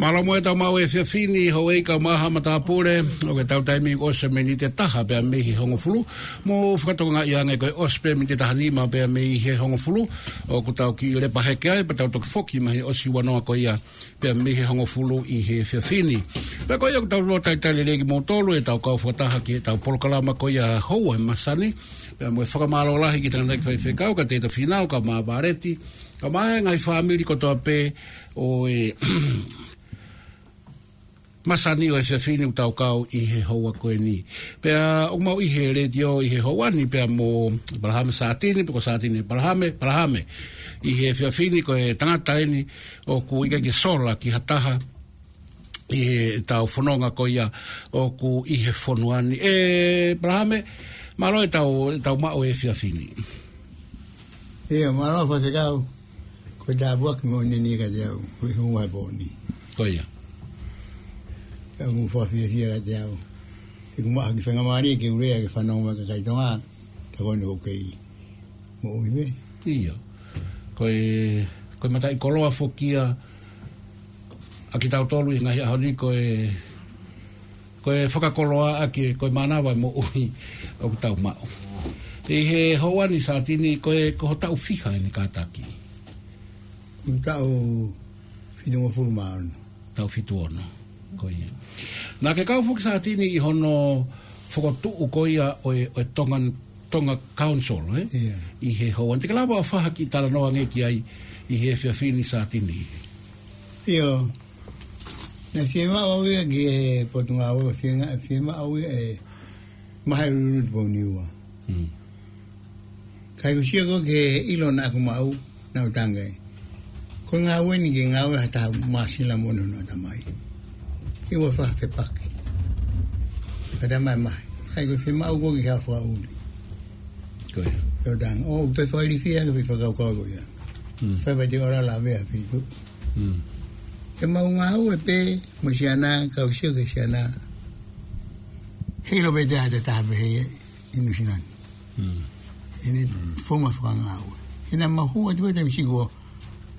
Mālō mo e tau maʻu e efiafi ni, houʻeiki kaeʻumaʻā haʻa matāpule, ʻoku tau taimi ʻosi miniti ʻe taha pea mei he hongofulu. Mou fakatokangaʻi ange ko e ʻosi pē miniti ʻe taha nima pea mei he hongofulu, ʻoku tau kiʻi lepa hake ai, pea tau toki foki mai he ʻosi ua noa ko ia pea mei he hongofulu ʻi he efiafi ni. Pea ko ia ʻoku tau lō talitali lelei kimoutolu ʻe tau kau fakataha ki he tau polokalama ko ia houa ʻi he masani. Pea mo e fakamālō lahi ki he tangataʻeiki faifekau, ka Tēvita Fīnau, kaeʻumaʻā Vāleti, kaeʻumaʻā e ngaahi fāmili kotoa pē ʻo e masani ʻo e efiafi ni ʻoku tau kau ʻi he houa ko eni. Pea ʻoku mau ʻi he letiō ʻi he houa ni pea mo ʻĒpalahame Sātini, pe ko Sātini ʻĒpalahame, ʻĒpalahame. ʻI he efiafi ni ko e tangata eni ʻoku ʻikai ke sola ki ha taha ʻi he tau fononga ko ia ʻoku ʻi he fonua ni. ʻĒpalahame, mālō e tau, tau maʻu e efiafi ni. Ia, mālō Faifekau. Ko e tāpuaki moʻoni eni kiate au, ko e hū mai pō ni. Ko ia. Ka ʻoku fakafiefia kiate au. He ʻoku maʻu ha kiʻi faingamālie ke u lea ki he fānau mo e kakai Tonga, tā ko eni ʻoku kei moʻui pē. Ia. Ko e, ko e mataʻikoloa foki ia ʻa kitautolu ʻi he ngaahi ʻaho ni, ko e, ko e fakakoloa ʻaki, ko e mānava e moʻui ʻoku tau maʻu. ʻI he houa ni Sātini, ko e, ko ho taʻu fiha eni kātaki? Ko e taʻu fitungofulu mā ono. Taʻu fitu ono. Ko ia. Naʻa ke kau foki Sātini ʻi hono fokotuʻu ko ia ʻo e, ʻo e Tongan Tonga Council, ē? Ia. ʻI he houa ni, te ke lava ʻo fai ha kiʻi talanoa ange ki ai ʻi he efiafi ni Sātini? ʻIo. Naʻe fiemaʻu au ia ki he Potungāue, fiemaʻu, fiemaʻu au ia ʻe Mahe Lulu Tupou Niua. Mm. Ka ʻoku ou sio ko ē ki he ʻilo naʻa ku maʻu, naʻa ku tangai. Ko e ngāue ni ke ngāue ha taha māsila moʻoni hono ʻatamai. Ke ʻoua ʻe fai ha fepaki. Ka talamai, ʻikai ko e fiemaʻu ko ē ke fakaʻuli. Ko ia. Pea u tangai, ʻo, ʻoku toe fakailifia ange e foʻi fakakaukau ko ia. Mm. Fai pē te u ala lavea feituʻu. Mm. Ke mau ngāue pē mo e siana, kau sio ki he siana. Heiʻilo pē te ʻi ai ha taha pehē ʻi Nuʻu Sila ni. Mm. ʻEne founga fakangāue. He naʻa mau hū atu pē taimi siʻi kuo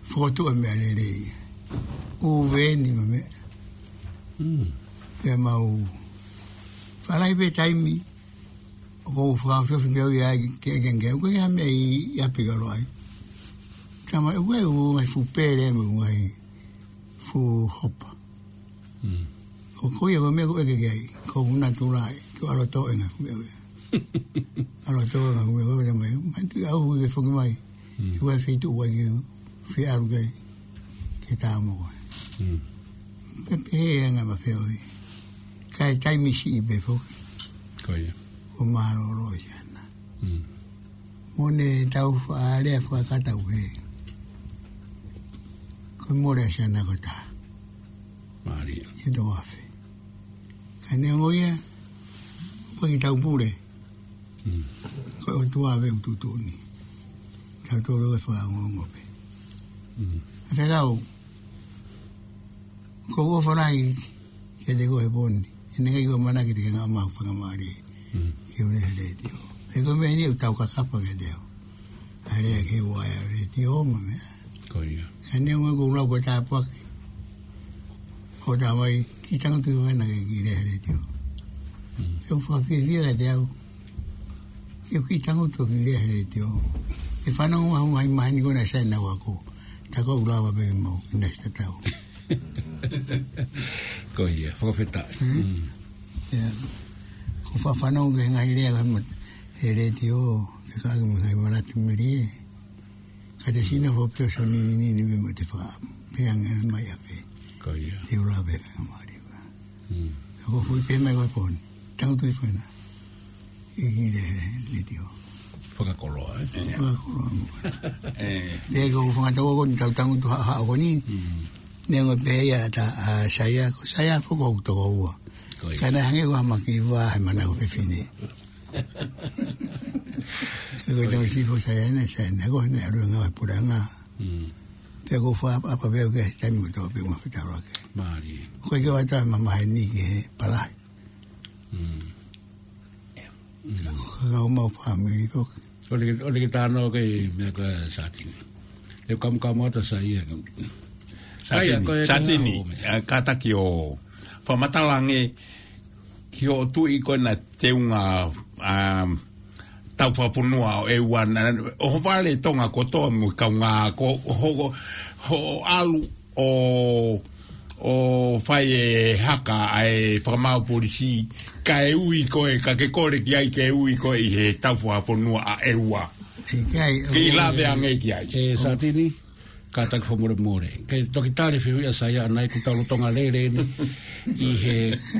fokotuʻu e meʻalele ia. ʻUveni mo e meʻa. Mm. Pea mau fālahi pē taimi ʻoku ou fakaofiofi pē au ia ke, ke, ke, ʻoku ʻikai ha meʻa ʻi, ʻi ʻapi kalo ai. Tama, ʻoku ʻi ai e ngaahi fuʻu pele mo e ngaahi fuʻu hopa. Mm. Ko, ko ia ko e meʻa ʻoku ʻeke ki ai, ko hoku natula ia, ko e ʻaloʻofa e ngaahi meʻa ia. ʻAloʻofa e ngaahi meʻa ia, mai, mai tu au ke foki mai. Mm. Ki he feituʻu ʻoku ʻikai ke u fie ʻalu ki ai, ke tā mo koe. Mm. Pea pehē ange ma feohi. Kae taimi siʻi pē foki. Ko ia. Ko e mālōlō e siana. Mm. Mo ʻene tau faʻa lea fakakata ʻoku pehē, ko e mole ʻa e siana ko e taha. Mālie. ʻI he toko afe. Ka neongo ia, ʻoku ʻikai ke tau pule. Mm. Ko e ʻOtua pē ʻoku tuʻutuʻuni. Tautolu ʻe fakaongoongo pē. Mm. Faifekau, ko e ʻofa lahi kiate koe he pō ni. ʻE ʻikai ke u ʻamanaki te ke ngāue maʻu faingamālie. Mm. Ke u lea he letiō. He ko e meʻa ni ʻoku tau kakapa kiate au. ʻA e lea ki he uaea letiō mo e meʻa. Ko ia. Ka neongo ʻeku lau ko e tāpuaki. Ko e talamai, kiʻi tangutu hifo naʻa ke kiʻi lea he letiō. Mm. Pea ʻoku fakafiefia kiate au. Ke u kiʻi tangutu ʻo kiʻi lea he letiō. ʻE fanongo mai ha ngaahi maheni ko ena sai nau ako. Tā ko ʻeku lava pē ke mau, ʻi he next tatau. Ko ia, fakafetaʻi. Mm. Mm. Ia. ʻOku ou faʻa fanongo ki he ngaahi lea ko ē he letiō, fekauʻaki mo e ngaahi manatu melie. Ka te sino fo pio sa ni ni ni ni mo te fa. Pe ange mai afe. Ko ia. Te u lava pē ke mau lea. Mm. ʻOku ou fui pē mai ko e pō ni. Tangutu hifo ena. ʻI he letiō. Fakakoloa, ē? Fakakoloa mo. Ē. Te ko e fanga tau ko eni tau tangutu ha, ha ko eni. Mm. Neongo pē ia ʻa Saia, ko Saia foki ʻoku toko ua. Ko ia. Ka naʻe hangē ko ha maki vā he mana ko fefine. Ko e tau sifo Saia ne, Saia ne, ko ne alu ngā puranga. Mm. Pea ʻoku ou fakaʻapaʻapa pē au ki he taimi kotoa pē ʻoku ma fetaulaki. Mālie. Ko e ke wata ma maheni ki he palahi. Mm. Mm. Ka kau mau fāmili foki. ʻOku te, ʻoku te ke tānaki meʻa ko e Sātini. Te u kamukamu atu Saia. Saia, Sātini, ko e Sātini, ngaahi ʻo meʻa. Ā, kātaki ʻo fakamatala ange ki hoʻo tuʻi ko ena teunga, ā, tau fakafonua ʻo e ua na, ʻo ho vale Tonga kotoa mo e kaungā ko ho, ho, ho ʻalu ʻo, ʻo fai e haka ʻa e fakamaau polisi, kae ui koe, ka ke kole ki ai ke ui koe ʻi he tau fakafonua ʻa e ua. ʻIkai, ke ʻo lave ange ki ai. ʻE Sātini, kātaki fakamolemole. Ke toki tali e fehuʻi ʻa Saia ʻanai ʻoku tau lolotonga lele eni ʻi he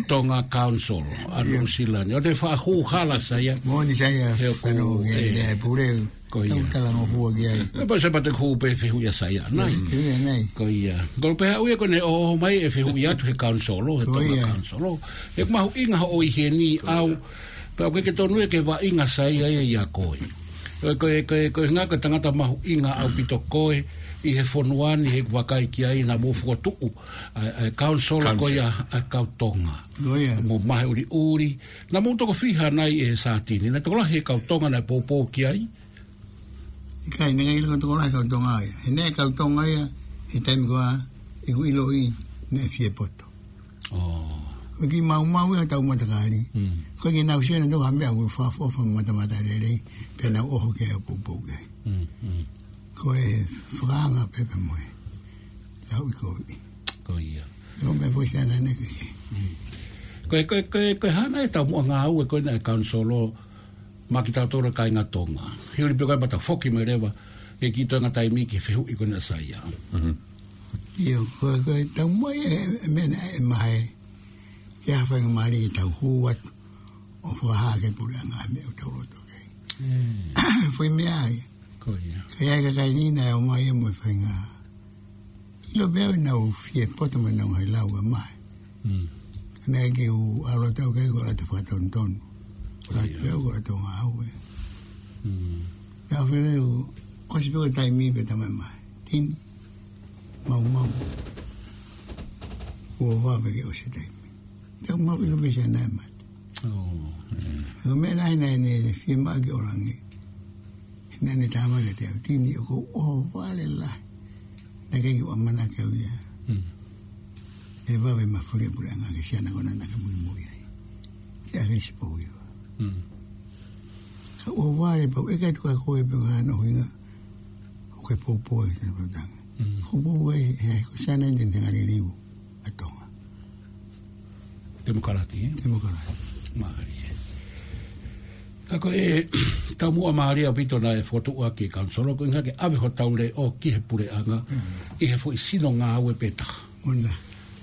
Tonga Council ʻa Nuʻu Sila ni. ʻOku te faʻa hū hala Saia. Moʻoni Saia, he ʻoku fanongo ki he, ē, lea pule. Ko ia. Tau talangofua ki ai. ʻE pau se pate ko e fehuʻi ʻa Saia ʻanai. Fehuʻi ʻanai. Ko ia. Ko e pehē ʻe au ia ko ʻene ʻoho mai e fehuʻi atu he council, he Tonga Council. Ko ia. ʻE mahuʻinga hoʻo ʻi heni au. Pea ʻoku ʻikai ke tonu ia ke vaʻinga Saia ia ʻia koe. Ko e, ko e, ko e, ko e ʻuhinga ko e tangata mahuʻinga ʻaupito koe ʻi he fonua ni, he ʻoku vakai ki ai naʻa mou fokotuʻu ʻa e, ʻa e kaunisolo ko ia ʻa e kau Tonga. Ko ia. Mo Mahe ʻUliʻuli. Naʻa mou toko fiha nai ʻe Satini? Naʻe tokolahi e kau Tonga naʻe poupou ki ai? ʻIkai, naʻe ʻikai ke tokolahi e kau Tonga ia. He naʻe kau Tonga ia, he taimi ko ia, ʻeku ʻiloʻi, naʻe fie poto. ʻO. Ko e kiʻi maumau ia ʻetau matakali. Mm. Ko e kiʻi nau sio naʻa tau ha meʻa ʻoku fakaʻofoʻofa matamata lelei, pea nau ʻoho ke ʻo poupou ke. Mm, mm. Ko e fakaanga pē pea mo e lauʻikoviʻi. Ko ia. Ko e meʻa foʻi siana ne ke. Mm. Ko e, ko e, ko e, ko e hā nai ʻetau muʻa ngāue ko ena ʻa e kaunisolo maʻa kitautolu kāinga Tonga? He ʻoku pē ko e mata foki mai leva ki he kiʻi toenga taimi ki he fehuʻi ko ena ʻa Saia. Mhm. ʻIo, ko, ko e tau mai e, e meʻa naʻe ʻomai ke ʻai ha faingamālie ke tau hū atu ʻo fakahā ki he puleʻanga e meʻa ʻoku tau loto ki ai. Mm. Foʻi meʻa ia. Ko ia. Ka ʻi ai e kakai ni naʻe ʻomai ia mo e faʻahinga ʻilo pē ʻoku nau fie poto mo ʻenau ngaahi lau ʻa Mahe. Mm. Ka naʻe ʻikai ke u ʻalu atu au ki ai ko e ʻalu atu fakatonutonu. Ko e ʻalu atu pē au ko e ʻalu atu ngāue. Mm. Naʻe fili u ʻosi pē ko e taimi pea tala mai ʻe Mahe, Tini, maumau. Kuo vave ke ʻosi e taimi. Tau mau ʻilo pē siana ʻe mate. ʻO, ē. Ko e meʻa lahi naʻe ne fiemaʻu ke ʻoange. Naʻa ne tala mai kiate au, Tini, ʻoku ou ʻohovale lahi. Naʻe ʻikai ke u ʻamanaki au ia. Mm. ʻE vave mafuli e puleʻanga ki he siana ko ena naʻa ke muimui ai. Ki ʻAkilisi Pouiva. Mm. Ka ʻohovale pau, ʻe ʻikai tuku ʻa koe pē ʻoku hā hono ʻuhinga ʻoku ke poupou ai he tangata. Mm. Ko e poupou ai, he ko e siana ʻeni te ne ngali liliu ʻa Tonga. Temokalati, ē? Temokalati. Mālie. Ka ko e taumuʻa mālie ʻaupito naʻe fokotuʻu ʻaki e kaunisolo, ko e ʻuhinga ke ʻave hotau leʻo ki he puleʻanga, mm, ʻi he foʻi sino ngāue pē taha. Ona.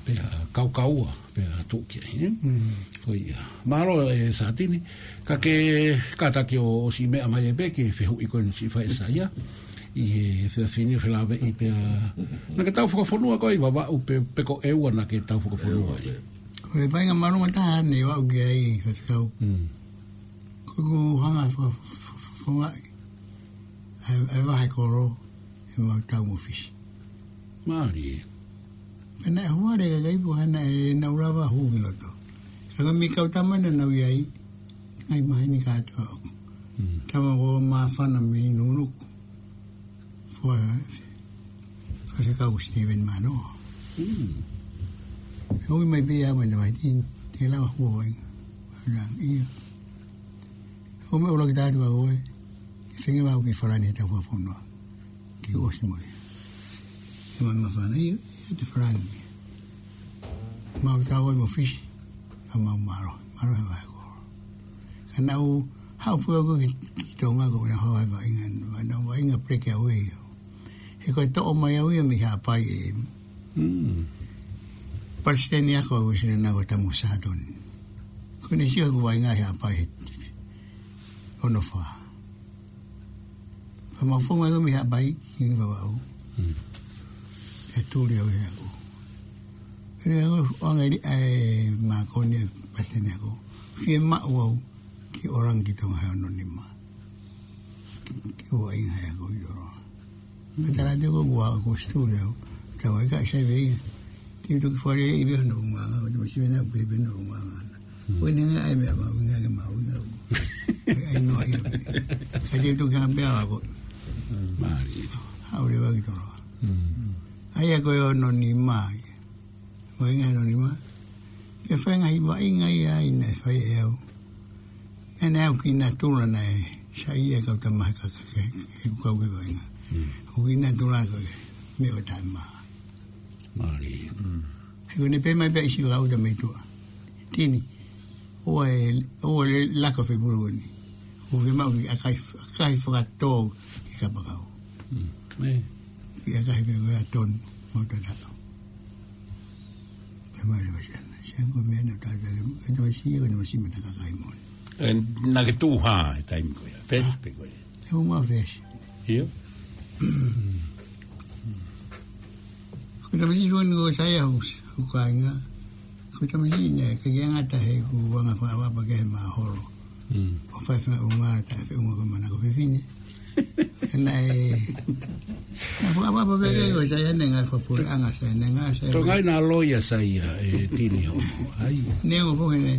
Pea kaukaua, pea tuʻu ki ai, ē? Mm. Ko ia. Mālō ē Satini, ka ke kātaki ʻo ʻosi meʻa mai ai pē ki he fehuʻi ko eni naʻe fai ʻe Saia. ʻI he efiafi ni ʻo felāveʻi pea. Naʻa ke tau fakafonua koe ʻi Vavaʻu pe, pe ko ʻEua naʻa ke tau fakafonua ai? Ko e vaʻinga māʻolunga taha naʻe ʻoatu ki ai Faifekau. Mm. Ko ʻeku hanga faka-, fa-, fa-, fa-, fakafonua ʻa e, ʻa e vahe kolo, ʻemau tau mo Fisi. Mālie. Pea naʻe ʻohovale e kakai pea naʻe ʻikai ke nau lava hū ki loto. Ka ko e meʻa kau tama naʻa nau ʻi ai, ngaahi maheni kātoa. Mm. Tama ko Māfana mei Nunuku. Fua, Faifekau ko Steven Manoa. Mm. ʻOi mai pē ia mai na mai tin, te lava hua vai. Ia. ʻO meʻa ʻuluaki tātu a koe, ke tengi mau ki Falani he tau fakafonua. Ke ʻosi mo ia. Ke mai Māfana ia, ia te Falani. Mau tau ai mo Fisi, ka mau mālō, mālō he vahe kolo. Ka naʻa ku haʻu foki au ki, ki Tonga ko e hau ai vaʻinga, vaʻinga, vaʻinga breakaway au. He ko e toʻo mai au ia mei Haʻapai ē. Mm. Palesiteni ako au ʻe sina nako Tamu Satoni. Ko ʻene sio ʻeku vaʻinga he Haʻapai he ono fā. Pea mau fonga au mei Haʻapai ki Vavaʻu. Mm. ʻE tuli au he ako. Pea ʻoange li ʻa e mākoni ʻa e palesiteni ako. Fiemaʻu au ke ʻalu ange ki Tonga he ono nima. Ke u vaʻinga he ako ʻi Toloa. Pea tala atu ko ʻeku ako ʻi Situli au. Tau ai ka sai vei. Te u toki fale i vea no nganga, ko te masiva na pe pe no nganga. Hmm. Ko ʻene ngaahi meʻa mahuʻinga ke mahuʻinga. ʻAi noa ia. Ka te u toki hanga pē au ako. Hmm. Mālie. Haʻu leva ki Toloa. Hmm. ʻAi ako ʻi he ono nima ia. Vaʻinga he ono nima. Pea fai e ngaahi vaʻinga ia ʻi ai naʻe fai ʻe au. Naʻe ʻi ai ʻeku kiʻi natula naʻe saiʻia e kau tama he ka, ka, he, he ʻeku kau ki he vaʻinga. Mm. ʻOku kiʻi natula ko e meʻa ʻo taʻemaʻa. Mālie. Mm. He ko ʻene pehē mai pē ʻe he siva kau tama ʻi tuʻa. Tini, ʻoua ʻe, ʻoua ʻe laka fepuloni. ʻOku fiemaʻu ke ʻakahi, ʻakahi fakatō ki he kapakau. Mm. ʻE. Ke ʻakahi pē ko e ʻatonu, mau tataʻo. Pea mālie vasiana. Siana ko e meʻa naʻa tau tau, ko e tamasiʻi, ko e tamasiʻi mata kakai moʻoni. ʻE, naʻa ke tuʻu hā he taimi ko ia? Fesi, ah, pe ko ia? Te u ma fesi. ʻIo. Ko e tamasiʻi ko eni ko Saia Husi, ʻoku kāinga. Ko e tamasiʻi naʻe ʻikai ke ngata he ʻoku anga fakaʻapaʻapa ki he maholo. Mm. ʻO fai fakaʻuhinga, taʻefeʻunga ko e manako fefine. Naʻe, naʻe fakaʻapaʻapa pē ko Saia ne ngaahi fakapuleʻanga Saia ne ngaahi Saia. Tō ngai na loia Saia, ē, tini ho. Ai. Ne o foki ne,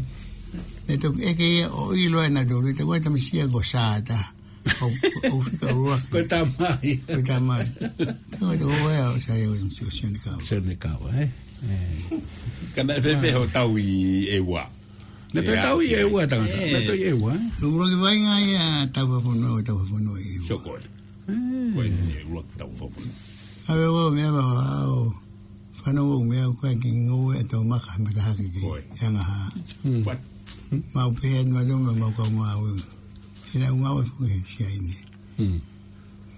ne toki ʻeke ia ʻo ʻilo ʻe nautolu, te koe tamasiʻi ko Sata. ʻO, ʻo fika ua. Ko e tamai. Ko e tamai. Te koe te koe ʻo Saia ʻo Sione Kava. Sione Kava, ē? Ē. Ka naʻe fēfē hoʻo tau ʻi ʻEua? Naʻe toe tau ʻi ʻEua tangata. Naʻe toe ʻi ʻEua, ē? Ua ki vai ngai a tau fakafonua, tau fakafonua ʻi ʻEua. Sio koe. Ē. Ko e ʻEua tau fakafonua. ʻAve ko meʻa ma ʻo fanongo meʻa ko e kiʻi ngoue ʻa Tōmaka matahaki ki Angaha. What? Mau pehē atu ma tō ma mau kau ngāue. Ina u ngāue fuʻu he sia ine.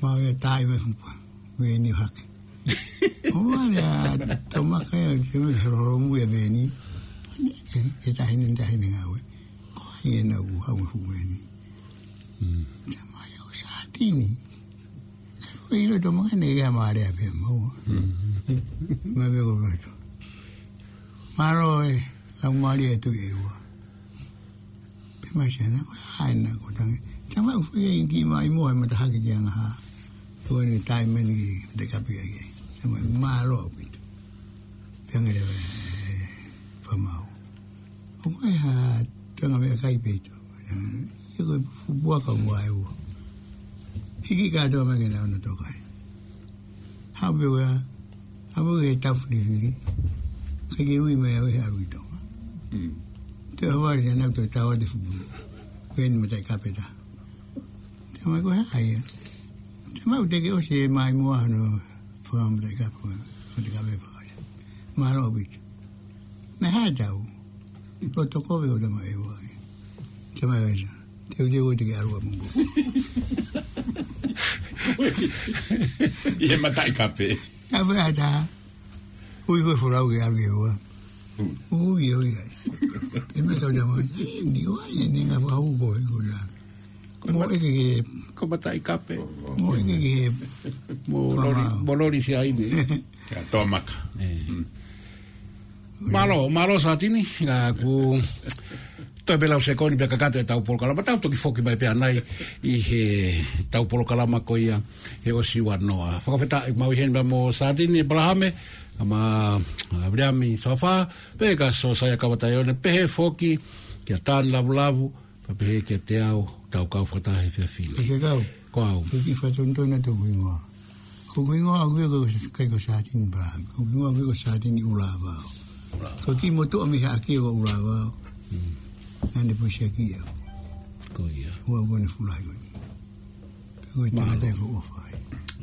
Mau ia tai me fupa. Veni hake. ʻO vale ʻa Tōmaka ia, te me horo horo mu ia veni. Ke, ke tahine, tahine ngāue. Ko ia na u hau me fuʻu veni. Te mai o Satini. Ka ko ʻilo Tōmaka ne ia mare a pē mau. Ma me ko veto. Mālō ē, lau mare e tu e ua. Pea mai Saina, ko e hā ena ko tangi. Tama u fai e ingi mai mo e matahaki ki Angaha. Ko eni tai meni ki te kapi ai. Tama mālō ʻaupito. Pea ngere, ē, famau. ʻO ko e hā tanga meʻakai pē ʻi tō. Ia ko e fupuaka ua ʻEua. Hiki kātoa mai ke na ona tokai. Hape ua, hape ua e tau filifili. Ka ke ui mai au he ʻalu ʻi Tonga. Te o vale na te tau te fupu. Veni mataʻi kape ta. Te mai ko e hā ia. Te mau te ke ʻosi e mai mua no fua mataʻi kape, mataʻi kape fakaja. Mālō ʻaupito. Naʻe hā tau. Lo toko ve o tama ʻEua. Te mai vai sa. Te u te u te ke ʻalu a mungu. ʻI he mataʻi kape. Kape ata. Ui ko e folau ke ʻalu ʻEua. Ui, ui, ai. E me kau tama. Ni ua, e ni ngā whakahau ko e ko la. Mo e ke ke. Ko mataʻi kape. Mo e ke ke. Mo lori, mo lori si ai ni. Kia Tōmaka. Mālō, mālō Satini, ngā ku toe pē lau sekoni pea kakato e tau polokalama, tau toki foki mai pea nai ʻi he tau polokalama ko ia he ʻosi ua noa. Fakafetaʻi mau ʻi heni pea mo Satini ʻEpalahame, ma Viliami Sofa, pea ka Sosaia Kavataione, pehē foki kia Tani Lavulavu, pea pehē kia te au, tau kau fakataha he efiafi ni. Ko e kau. Ko au. Ko ki fatonto na tō kuingoa. Ko kuingoa au ko kai ko Satini Epalahame. Ko kuingoa au ko Satini ʻUlavao. Ko ki motu ʻami haʻaki ko ʻUlavao. Nane pusi aki au. Ko ia. Ua ko ne fulai ko ni. Ko e tangata ko ʻUafai.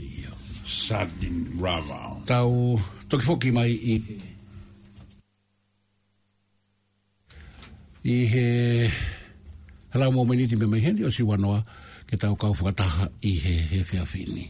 Ia. Satini ʻUlavao. Tau toki foki mai ʻi ʻi he hala mo miniti mei heni ʻosi ua noa ke tau kau fakataha ʻi he, he efiafi ni.